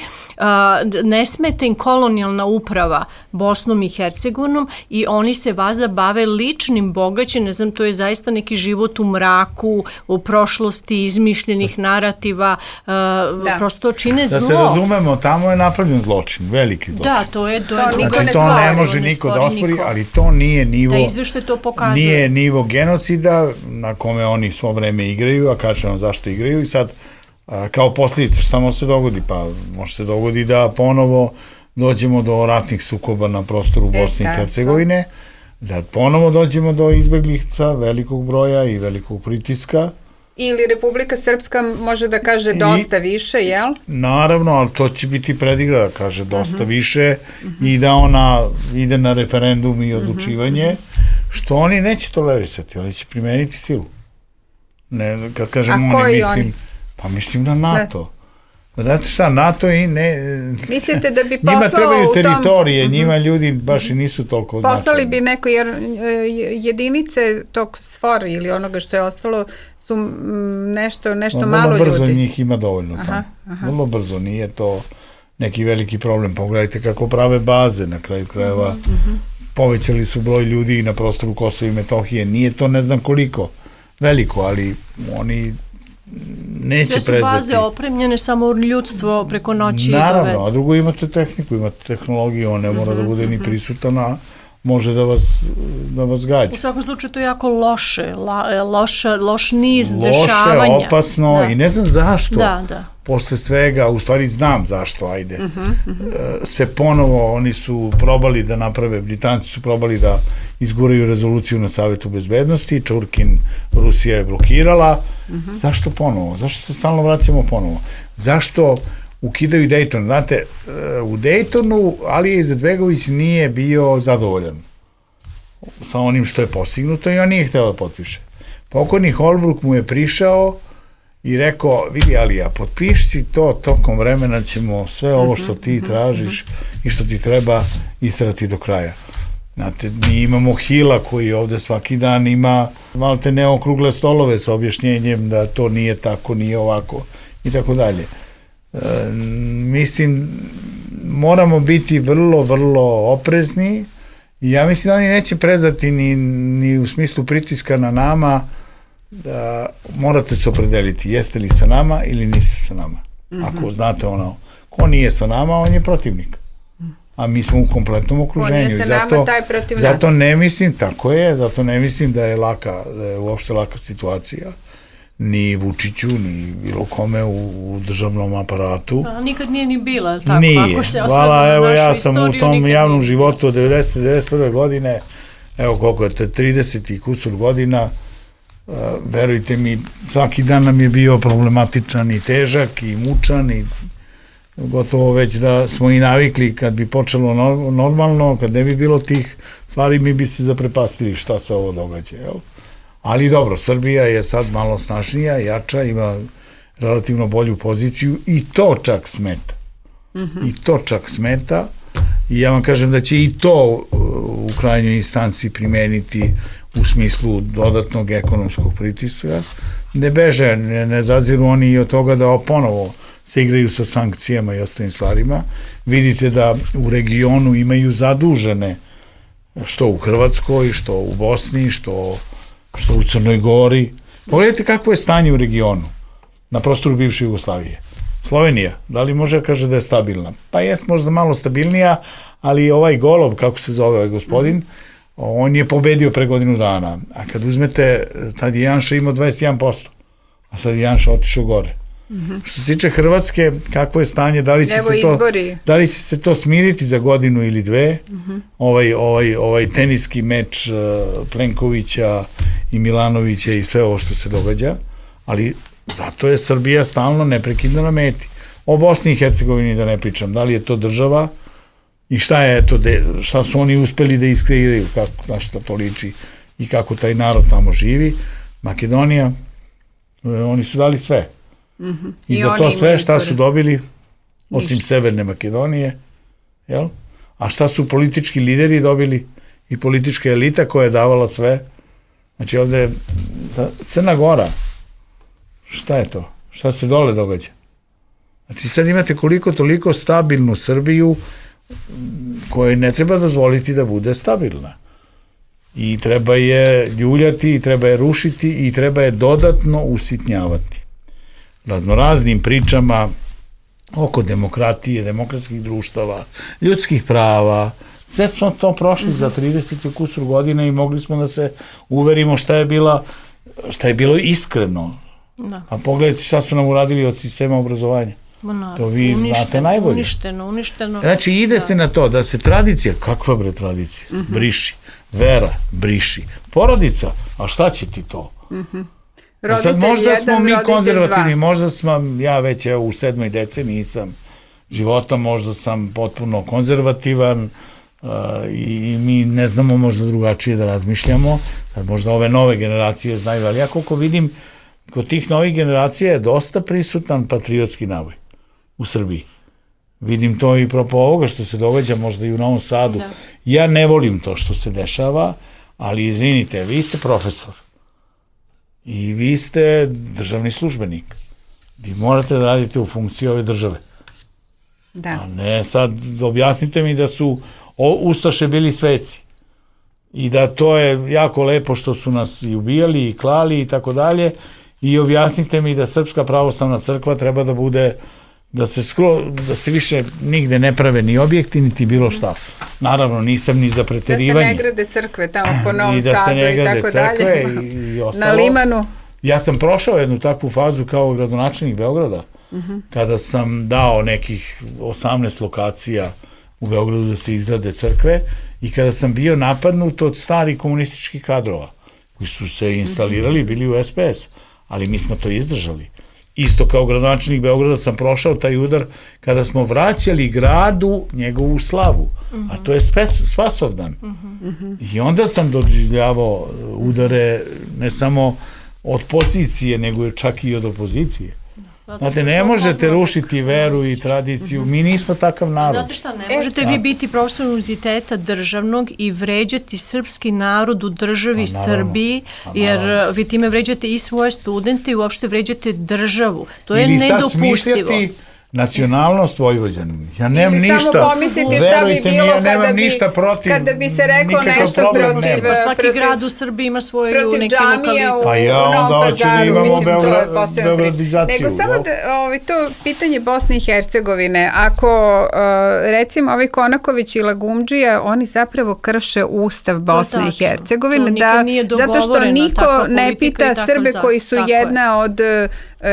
ne smete im kolonijalna uprava Bosnom i Hercegovinom i oni se vazda bave ličnim bogaćem, ne znam, to je zaista neki život u mraku, u prošlosti, izmišljenih narativa, da. Prosto čine zlo. Da se razumemo, tamo je napravljen zločin, veliki zločin. Da, to je, to je druga znači, to ne može niko da ospori, ali to nije nivo, da izvešte to pokazuje. Nije nivo genocida na kome oni svo vreme igraju, a kažem vam zašto igraju i sad kao posljedica šta može se dogodi? Pa može se dogodi da ponovo dođemo do ratnih sukoba na prostoru Bosne i Hercegovine, da ponovo dođemo do izbeglica velikog broja i velikog pritiska Ili Republika Srpska može da kaže dosta I, više, jel? Naravno, ali to će biti predigra da kaže dosta uh-huh. više uh-huh. i da ona ide na referendum i odlučivanje, uh-huh. što oni neće tolerisati, oni će primeniti silu. Ne, kad kažem oni, mislim, oni? Pa mislim na NATO. Da. Znate šta, NATO i ne... Mislite da bi poslao njima trebaju teritorije, tom... njima ljudi baš i nisu toliko poslali značajni. Bi neko, jer jedinice tog SFOR ili onoga što je ostalo su nešto, nešto malo ljudi. Vrlo brzo njih ima dovoljno tamo. Vrlo brzo, nije to neki veliki problem. Pogledajte kako prave baze na kraju krajeva. Uh-huh, uh-huh. Povećali su broj ljudi na prostoru Kosova i Metohije. Nije to ne znam koliko veliko, ali oni neće prezeti. Sve su baze opremljene, samo ljudstvo preko noći. Naravno, a drugo imate tehniku, imate tehnologiju, on ne mora uh-huh, da bude ni prisutan, a može da vas, da vas gađa. U svakom slučaju to je jako loše, la, loša, loš niz loše, dešavanja. Loše, opasno da. I ne znam zašto. Da, da. Posle svega, u stvari znam zašto, ajde, uh-huh, uh-huh. se ponovo, oni su probali da naprave, Britanci su probali da izguraju rezoluciju na Savetu bezbednosti, Čurkin, Rusija je blokirala. Uh-huh. Zašto ponovo? Zašto se stalno vraćamo ponovo? Zašto ukidaju Dayton? Znate, u Daytonu Alija Izetbegović nije bio zadovoljan sa onim što je postignuto i on nije hteo da potpiše. Pokojni Holbrooke mu je prišao i rekao, vidi Alija, potpiši si to, tokom vremena ćemo sve ovo što ti tražiš i što ti treba istrati do kraja. Znate, mi imamo Hila koji ovde svaki dan ima malte ne okrugle stolove sa objašnjenjem da to nije tako, nije ovako i tako dalje. E, mislim, moramo biti vrlo, vrlo oprezni i ja mislim da oni neće prezati ni, ni u smislu pritiska na nama, da morate se opredeliti, jeste li sa nama ili niste sa nama. Mm-hmm. Ako znate ono, ko nije sa nama, on je protivnik. A mi smo u kompletnom okruženju. On je sa zato, nama, taj protiv nas. Zato ne mislim, tako je, zato ne mislim da je laka, da je uopšte laka situacija. Ni Vučiću, ni bilo kome u, u državnom aparatu. A, nikad nije ni bila tako. Nije. Ako se Hvala, evo ja sam istoriju, u tom javnom životu od devedesete do devedeset prve godine, evo koliko je to, trideset i kusur godina, uh, verujte mi, svaki dan nam je bio problematičan i težak i mučan i gotovo već da smo i navikli kad bi počelo normalno, kad ne bi bilo tih stvari, mi bi se zaprepastili šta se ovo događa, jel? Ali dobro, Srbija je sad malo snažnija, jača, ima relativno bolju poziciju i to čak smeta. Mm-hmm. I to čak smeta i ja vam kažem da će i to u krajnjoj instanci primeniti u smislu dodatnog ekonomskog pritiska. Ne beže, ne, ne zaziru oni i od toga da ponovo se igraju sa sankcijama i ostalim stvarima. Vidite da u regionu imaju zadužene što u Hrvatskoj, što u Bosni, što što u Crnoj Gori. Pogledajte kakvo je stanje u regionu, na prostoru bivše Jugoslavije. Slovenija, da li može kaže da je stabilna? Pa jest možda malo stabilnija, ali ovaj Golob, kako se zove ovaj gospodin, on je pobedio pre godinu dana. A kad uzmete, tad je Janša imao dvadeset jedan posto, a sad je Janša otišao gore. Mm-hmm. Što se tiče Hrvatske, kakvo je stanje, da li će, se to, da li će se to smiriti za godinu ili dve, mm-hmm. ovaj, ovaj, ovaj teniski meč uh, Plenkovića i Milanovića i sve ovo što se događa, ali zato je Srbija stalno neprekidno na meti. O Bosni i Hercegovini da ne pričam, da li je to država i šta je to, de, šta su oni uspeli da iskreiraju, kako, na šta to liči i kako taj narod tamo živi. Makedonija, oni su dali sve. Mm-hmm. I, I za to sve šta su dobili, osim Ništa. Severne Makedonije, jel? A šta su politički lideri dobili i politička elita koja je davala sve. Znači ovde Crna Gora, šta je to? Šta se dole događa? Znači sad imate koliko toliko stabilnu Srbiju kojoj ne treba dozvoliti da bude stabilna. I treba je ljuljati, i treba je rušiti i treba je dodatno usitnjavati. Raznoraznim pričama oko demokratije, demokratskih društava, ljudskih prava. Sve smo to prošli za trideset kusur godina i mogli smo da se uverimo šta je bila, šta je bilo iskreno. Da. A pogledajte šta su nam uradili od sistema obrazovanja. Ma, to vi uništeno, znate najbolje. Uništeno, uništeno. Znači ide da. se na to da se tradicija, kakva bre tradicija, uh-huh. briši. Vera, briši. Porodica, a šta će ti to? Uh-huh. roditelj sad možda jedan, smo mi roditelj konzervativni, dva. možda sam, ja već evo, u sedmoj deceniji nisam života, možda sam potpuno konzervativan uh, i mi ne znamo možda drugačije da razmišljamo, sad možda ove nove generacije znaju, ali ja koliko vidim, kod tih novih generacija je dosta prisutan patriotski navoj u Srbiji. Vidim to i propo ovoga što se događa možda i u Novom Sadu. Da. Ja ne volim to što se dešava, ali izvinite, vi ste profesor i vi ste državni službenik. Vi morate da radite u funkciji ove države. Da. A ne sad objasnite mi da su ustaše bili sveci i da to je jako lepo što su nas i ubijali i klali i tako dalje i objasnite mi da Srpska pravoslavna crkva treba da bude da se skro, da se više nigde ne prave ni objekti, niti bilo šta. Naravno, nisam ni za preterivanje. Da se ne grade crkve tamo po Novom I da Sadu se ne i grade tako crkve dalje. I, i ostalo. Na Limanu. Ja sam prošao jednu takvu fazu kao gradonačelnik Beograda, uh-huh. kada sam dao nekih osamnaest lokacija u Beogradu da se izgrade crkve i kada sam bio napadnut od starih komunističkih kadrova koji su se instalirali, bili u es pe es, ali mi smo to izdržali. Isto kao gradonačelnik Beograda sam prošao taj udar kada smo vraćali gradu njegovu slavu, uh-huh. a to je spes, Spasovdan. Uh-huh. I onda sam doživljavao udare ne samo od pozicije, nego čak i od opozicije. Znate, ne možete rušiti veru i tradiciju, mi nismo takav narod. Znate šta, ne možete vi biti profesor univerziteta državnog i vređati srpski narod u državi Srbiji, jer vi time vređate i svoje studente i uopšte vređate državu. To je nedopustivo. Ili sad smišljati nacionalnost Vojvođanin. Ja nemam ništa. Ili samo pomisliti šta bi bilo ja kada, bi, protiv, kada bi se rekao nešto protiv... Pa svaki protiv, grad u Srbiji ima svoju neki lokalizam. Pa ja onda hoću da imamo beogradizaciju. Nego samo da, ovi, to pitanje Bosne i Hercegovine. Ako uh, recimo ovi Konaković i Lagumdžija, oni zapravo krše ustav Bosne i Hercegovine. Da, zato što niko ne pita Srbe koji su jedna od...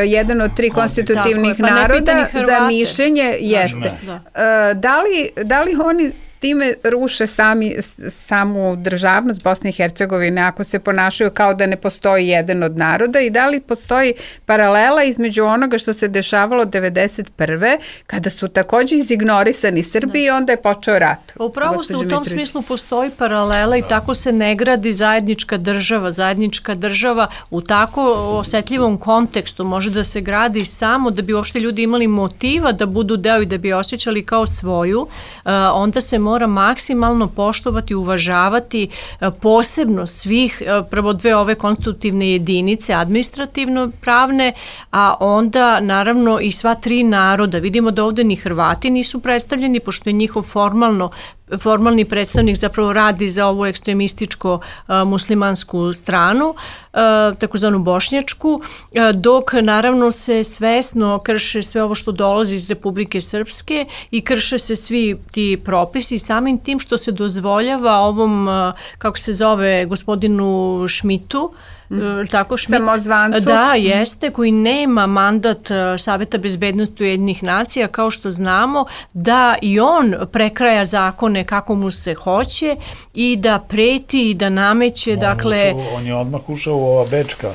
jedan od tri konstitutivnih pa naroda za mišljenje jeste. Da. Da, li, da li oni time ruše sami, samu državnost Bosne i Hercegovine ako se ponašaju kao da ne postoji jedan od naroda i da li postoji paralela između onoga što se dešavalo devedeset prve kada su takođe izignorisani Srbi i onda je počeo rat. Upravo ste, u tom smislu postoji paralela i tako se ne gradi zajednička država. Zajednička država u tako osetljivom kontekstu može da se gradi samo da bi uopšte ljudi imali motiva da budu deo i da bi osjećali kao svoju, onda se mora maksimalno poštovati, uvažavati posebno svih, prvo dve ove konstitutivne jedinice, administrativno pravne, a onda naravno i sva tri naroda. Vidimo da ovde ni Hrvati nisu predstavljeni, pošto je njihov formalno formalni predstavnik zapravo radi za ovu ekstremističko uh, muslimansku stranu, uh, takozvanu bošnjačku, uh, dok naravno se svesno krše sve ovo što dolazi iz Republike Srpske i krše se svi ti propisi samim tim što se dozvoljava ovom, uh, kako se zove, gospodinu Šmitu, Mm. tako Šmit, samozvancu. Da, jeste, koji nema mandat Saveta bezbednosti Ujedinjenih nacija, kao što znamo, da i on prekraja zakone kako mu se hoće i da preti i da nameće, on dakle... Ušao, on je odmah ušao u ova bečka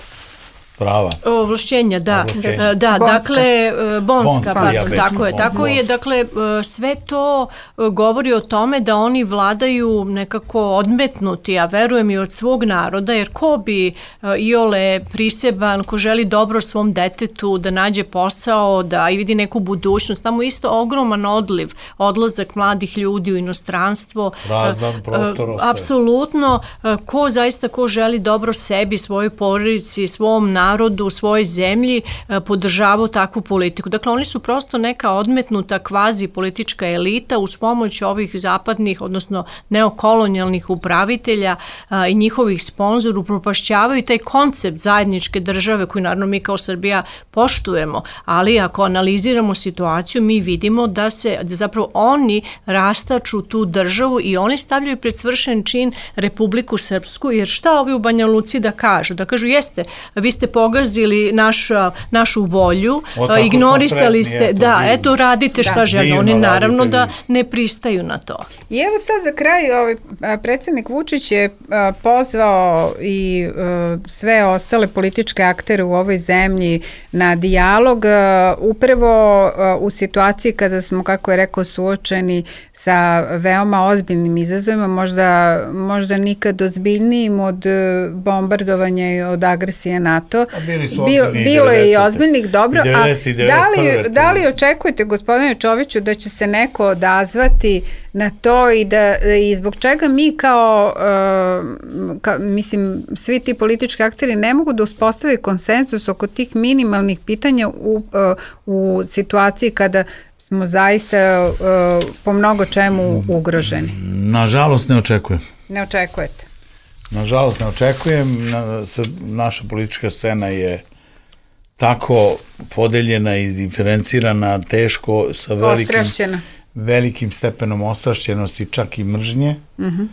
prava. Ovlašćenja, da. Ovlašćenja. Da, bonska. Dakle, bonska, bonska pa, ja tako je. Tako bonska. je, dakle, sve to govori o tome da oni vladaju nekako odmetnuti, a verujem i od svog naroda, jer ko bi iole priseban, ko želi dobro svom detetu, da nađe posao, da i vidi neku budućnost, tamo isto ogroman odliv, odlazak mladih ljudi u inostranstvo. Prazan prostor ostaje. Apsolutno, ko zaista, ko želi dobro sebi, svojoj porodici, svom narodu, narodu u svojoj zemlji podržavao takvu politiku. Dakle, oni su prosto neka odmetnuta kvazi politička elita uz pomoć ovih zapadnih, odnosno neokolonijalnih upravitelja a, i njihovih sponzora upropašćavaju taj koncept zajedničke države koju naravno mi kao Srbija poštujemo, ali ako analiziramo situaciju mi vidimo da se da zapravo oni rastaču tu državu i oni stavljaju pred svršen čin Republiku Srpsku, jer šta ovi u Banja Luci da kažu? Da kažu jeste, vi ste pogazili našu, našu volju, o, ignorisali ste, eto, da, vi, eto, radite šta da, žele, oni naravno da vi. ne pristaju na to. I evo sad za kraj, ovaj, predsjednik Vučić je a, pozvao i a, sve ostale političke aktere u ovoj zemlji na dijalog, a, upravo a, u situaciji kada smo, kako je rekao, suočeni sa veoma ozbiljnim izazovima, možda, možda nikad ozbiljnijim od bombardovanja i od agresije NATO. Bili su Bil, ozbiljni bilo je i ozbiljnih, dobro. devedeset, A da li, da li očekujete, gospodine Čoviću, da će se neko odazvati na to i da i zbog čega mi kao, uh, ka, mislim, svi ti politički akteri ne mogu da uspostave konsenzus oko tih minimalnih pitanja u, uh, u situaciji kada smo zaista uh, po mnogo čemu ugroženi? Nažalost ne očekujem. Ne očekujete? Nažalost ne očekujem. Na, naša politička scena je tako podeljena i diferencirana, teško, sa velikim, velikim stepenom ostrašćenosti, čak i mržnje, uh-huh.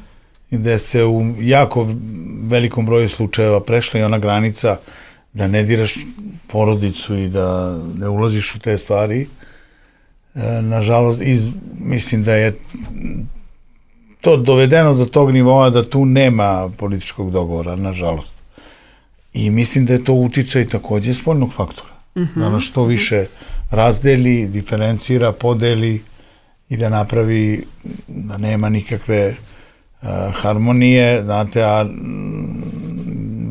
gde se u jako velikom broju slučajeva prešla i ona granica da ne diraš porodicu i da ne ulaziš u te stvari. E, nažalost, iz, mislim da je to dovedeno do tog nivoa da tu nema političkog dogovora, nažalost. I mislim da je to uticaj takođe spoljnog faktora. Uh-huh. Da nas što više razdeli, diferencira, podeli i da napravi da nema nikakve uh, harmonije, znate, a m,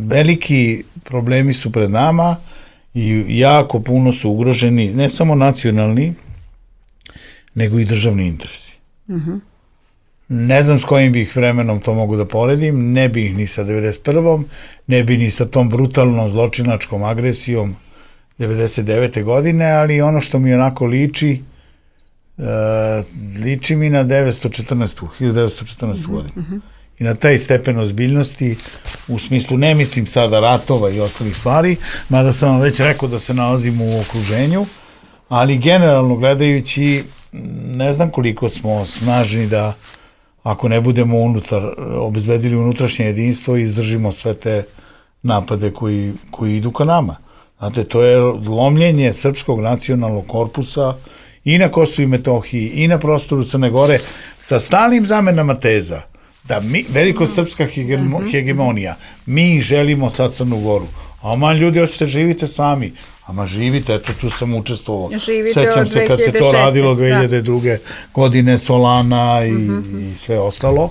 veliki problemi su pred nama i jako puno su ugroženi ne samo nacionalni, nego i državni interesi. Uh-huh. Ne znam s kojim bih vremenom to mogu da poredim, ne bih ni sa devedeset prvom, ne bih ni sa tom brutalnom zločinačkom agresijom devedeset devete godine, ali ono što mi onako liči, uh, liči mi na devetsto četrnaestu, hiljadu devetsto četrnaestu. Uh-huh, godinu. Uh-huh. I na taj stepen ozbiljnosti, u smislu, ne mislim sada ratova i ostalih stvari, mada sam vam već rekao da se nalazimo u okruženju, ali generalno gledajući, ne znam koliko smo snažni da ako ne budemo unutar, obezbedili unutrašnje jedinstvo i izdržimo sve te napade koji, koji idu ka nama. Znate, to je lomljenje srpskog nacionalnog korpusa i na Kosovu i Metohiji i na prostoru Crne Gore sa stalnim zamenama teza da mi, veliko srpska hegemo, hegemonija, mi želimo sad Crnu Goru. A man ljudi, hoćete živite sami. Ama živite, eto, tu sam učestvovao. Sećam se kad se to radilo dve hiljade druge. Da. godine, Solana i, mm-hmm. i sve ostalo.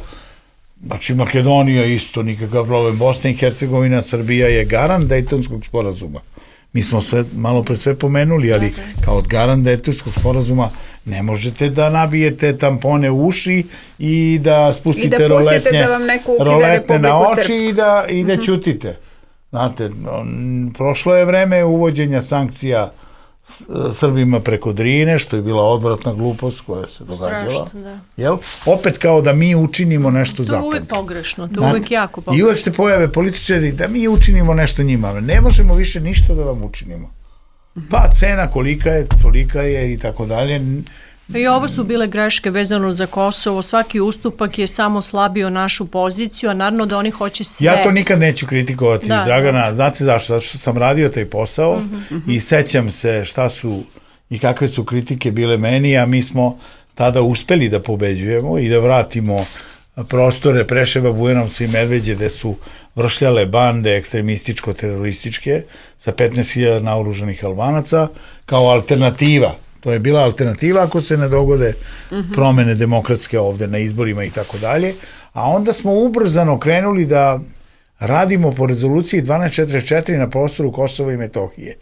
Znači, Makedonija isto, nikakav problem. Bosna i Hercegovina, Srbija je garant Dejtonskog sporazuma. Mi smo sve, malo pred sve pomenuli, ali okay. kao od garant Dejtonskog sporazuma ne možete da nabijete tampone u uši i da spustite I da roletne, da vam neko roletne na oči i da, i da mm-hmm. ćutite. Znate, prošlo je vreme uvođenja sankcija Srbima preko Drine, što je bila odvratna glupost koja se događala. Strašno, da. Jel? Opet kao da mi učinimo nešto zapad. To je uvek pogrešno, to je uvek jako pogrešno. I uvek se pojave političari da mi učinimo nešto njima. Ne možemo više ništa da vam učinimo. Pa cena kolika je, tolika je i tako dalje. I ovo su bile greške vezano za Kosovo, svaki ustupak je samo slabio našu poziciju, a naravno da oni hoće sve. Ja to nikad neću kritikovati, da, Dragana, da. Znate zašto? Zato što sam radio taj posao uh-huh, uh-huh. i sećam se šta su i kakve su kritike bile meni, a mi smo tada uspeli da pobeđujemo i da vratimo prostore Preševa, Bujanovca i Medveđe gde su vršljale bande ekstremističko-terorističke sa petnaest hiljada naoružanih Albanaca kao alternativa. To je bila alternativa ako se ne dogode uh-huh. promene demokratske ovde na izborima i tako dalje. A onda smo ubrzano krenuli da radimo po rezoluciji dvanaest četrdeset četiri na prostoru Kosova i Metohije.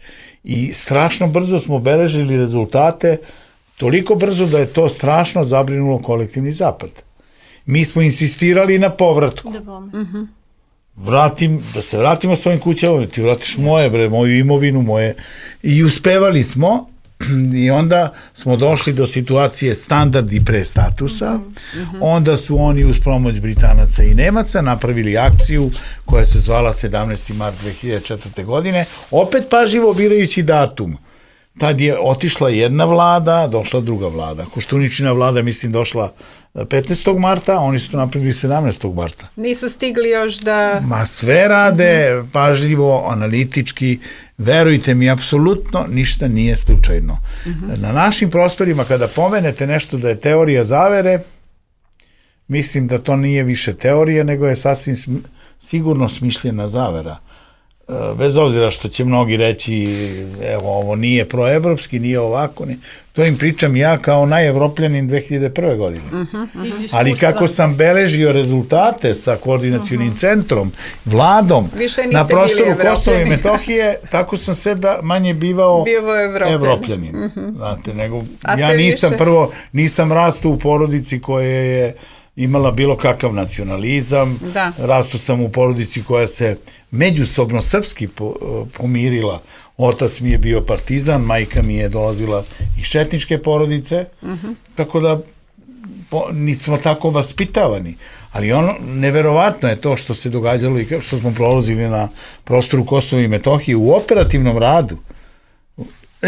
I strašno brzo smo beležili rezultate, toliko brzo da je to strašno zabrinulo kolektivni zapad. Mi smo insistirali na povratku. Da uh-huh. Vratim, da se vratimo svojim kućama, ti vratiš moje, bre, moju imovinu, moje. I uspevali smo. I onda smo došli do situacije standardi pre statusa, mm-hmm. onda su oni uz pomoć Britanaca i Nemaca napravili akciju koja se zvala sedamnaesti mart dve hiljade četvrte. godine, opet pažljivo birajući datum. tad je otišla jedna vlada, došla druga vlada. Koštuničina vlada, mislim, došla petnaestog marta, oni su to napravili sedamnaestog marta. Nisu stigli još da... Ma sve rade, uh-huh. pažljivo, analitički, verujte mi, apsolutno ništa nije slučajno. Uh-huh. Na našim prostorima, kada pomenete nešto da je teorija zavere, mislim da to nije više teorija, nego je sasvim sm- sigurno smišljena zavera. Bez obzira što će mnogi reći, evo, ovo nije proevropski, nije ovako, ne. To im pričam ja kao najevropljanin dve hiljade prve. godine. Uh-huh, uh-huh. Ali kako sam beležio rezultate sa koordinacionim uh-huh. centrom, vladom, na prostoru Kosova i Metohije, tako sam sve manje bivao evropljanin. Uh-huh. Znate, nego, ja nisam više... prvo, nisam rastao u porodici koje je imala bilo kakav nacionalizam, da. Rastao sam u porodici koja se međusobno srpski po, pomirila. Otac mi je bio partizan, majka mi je dolazila iz četničke porodice, uh-huh. tako da po, nismo tako vaspitavani. Ali ono, neverovatno je to što se događalo i što smo prolazili na prostoru Kosova i Metohije u operativnom radu.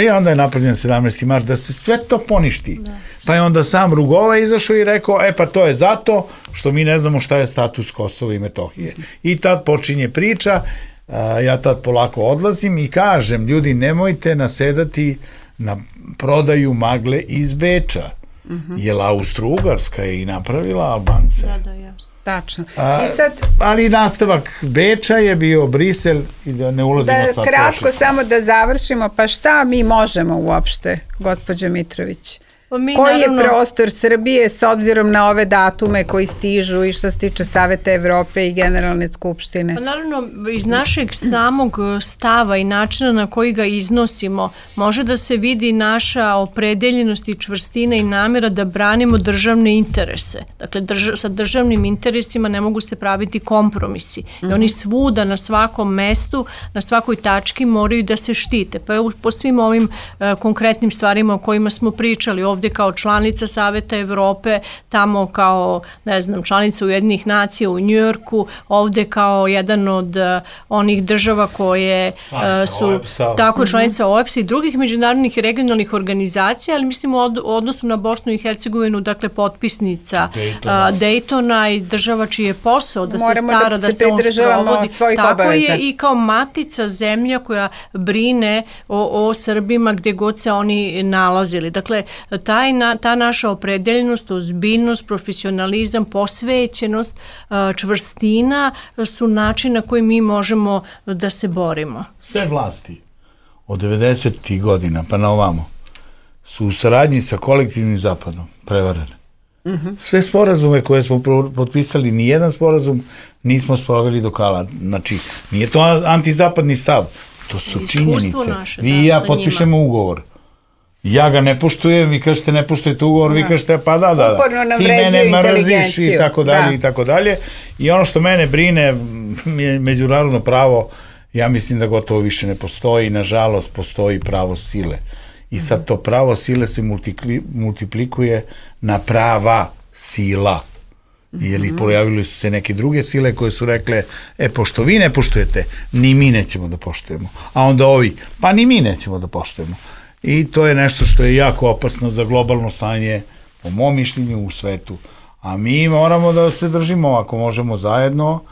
I onda je napravljen sedamnaesti mart da se sve to poništi. Da. Pa je onda sam Rugova izašao i rekao, e pa to je zato što mi ne znamo šta je status Kosova i Metohije. I tad počinje priča, a, ja tad polako odlazim i kažem, ljudi, nemojte nasedati na prodaju magle iz Beča. Uh-huh. Jer Austro-Ugarska je i napravila Albance. Da, da, jasno. Tačno. A, I sad, ali nastavak Beča je bio Brisel i da ne ulazimo da, sad kratko prošli. Samo da završimo, pa šta mi možemo uopšte, gospođo Mitrović? Pa mi, koji naravno, je prostor Srbije s obzirom na ove datume koji stižu i što se tiče Saveta Evrope i Generalne skupštine? Pa naravno, iz našeg samog stava i načina na koji ga iznosimo, može da se vidi naša opredeljenost i čvrstina i namjera da branimo državne interese. Dakle, drž- sa državnim interesima ne mogu se praviti kompromisi. I oni svuda, na svakom mestu, na svakoj tački moraju da se štite. Pa evo, po svim ovim uh, konkretnim stvarima o kojima smo pričali, ovdje kao članica Saveta Evrope, tamo kao, ne znam, članica Ujedinjenih nacija u Njujorku, ovdje kao jedan od uh, onih država koje uh, su O E P S-a. Tako članica O E P S-a i drugih međunarodnih i regionalnih organizacija, ali mislim u od, odnosu na Bosnu i Hercegovinu, dakle potpisnica Daytona, uh, Daytona i država čiji je posao da Moramo se stara da, da se, se on sprovodi. Tako obaveza. Je i kao matica zemlja koja brine o, o Srbima gdje god se oni nalazili. Dakle, taj na, ta naša opredeljenost, ozbiljnost, profesionalizam, posvećenost, čvrstina su način na koji mi možemo da se borimo. Sve vlasti od devedesetih godina pa na ovamo su u saradnji sa kolektivnim zapadom prevarene. Uh-huh. Sve sporazume koje smo potpisali, nijedan sporazum nismo sproveli do kala. Znači, nije to antizapadni stav, to su iskustvo činjenice. Naše, vi da, i ja potpišemo njima ugovor. Ja ga ne poštujem, vi kažete ne poštujete ugovor, vi kažete pa da, da, da. Ti mene mrziš i tako dalje i tako dalje. I ono što mene brine je međunarodno pravo, ja mislim da gotovo više ne postoji, nažalost postoji pravo sile. I sad to pravo sile se multikli, multiplikuje na prava sila. Jer i pojavili su se neke druge sile koje su rekle, e, pošto vi ne poštujete, ni mi nećemo da poštujemo. A onda ovi, pa ni mi nećemo da poštujemo. I to je nešto što je jako opasno za globalno stanje, po mom mišljenju, u svetu. A mi moramo da se držimo, ako možemo zajedno,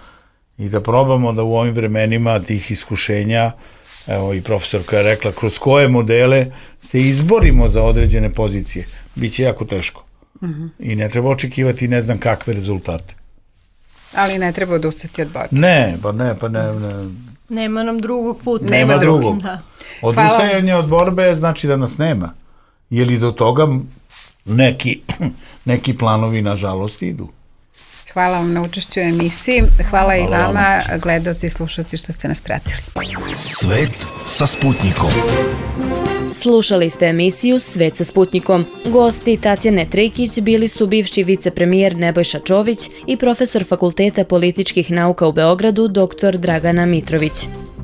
i da probamo da u ovim vremenima tih iskušenja, evo i profesorka je rekla, kroz koje modele se izborimo za određene pozicije. Biće jako teško. Uh-huh. I ne treba očekivati ne znam kakve rezultate. Ali ne treba odustati od borbe. Ne, pa ne, pa ne, ne. Nema nam drugog puta. Nema, nema drugog. Da. Odustajanje od borbe znači da nas nema. Je li do toga neki, neki planovi nažalost idu? Hvala vam na učešću u emisiji. Hvala, Hvala i vama, vam. Gledalci i slušalci, što ste nas pratili. Svet sa Sputnikom. Slušali ste emisiju Svet sa Sputnikom. Gosti Tatjane Trejkić bili su bivši vicepremijer Nebojša Čović i profesor Fakulteta političkih nauka u Beogradu dr Dragana Mitrović.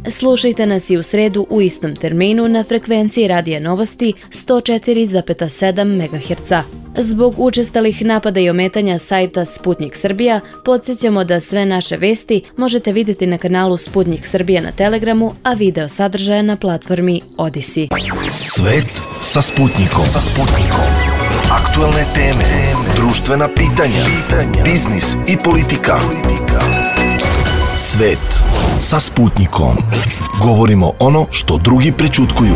Slušajte nas i u sredu u istom terminu na frekvenciji Radija Novosti sto četiri zarez sedam megaherca. Zbog učestalih napada i ometanja sajta Sputnik Srbija, podsjećamo da sve naše vesti možete vidjeti na kanalu Sputnik Srbija na Telegramu, a video sadržaja na platformi Odisi. Svet sa Sputnikom. Sa Sputnikom. Aktuelne teme, društvena pitanja, biznis i politika. Svet sa Sputnikom. Govorimo ono što drugi prećutkuju.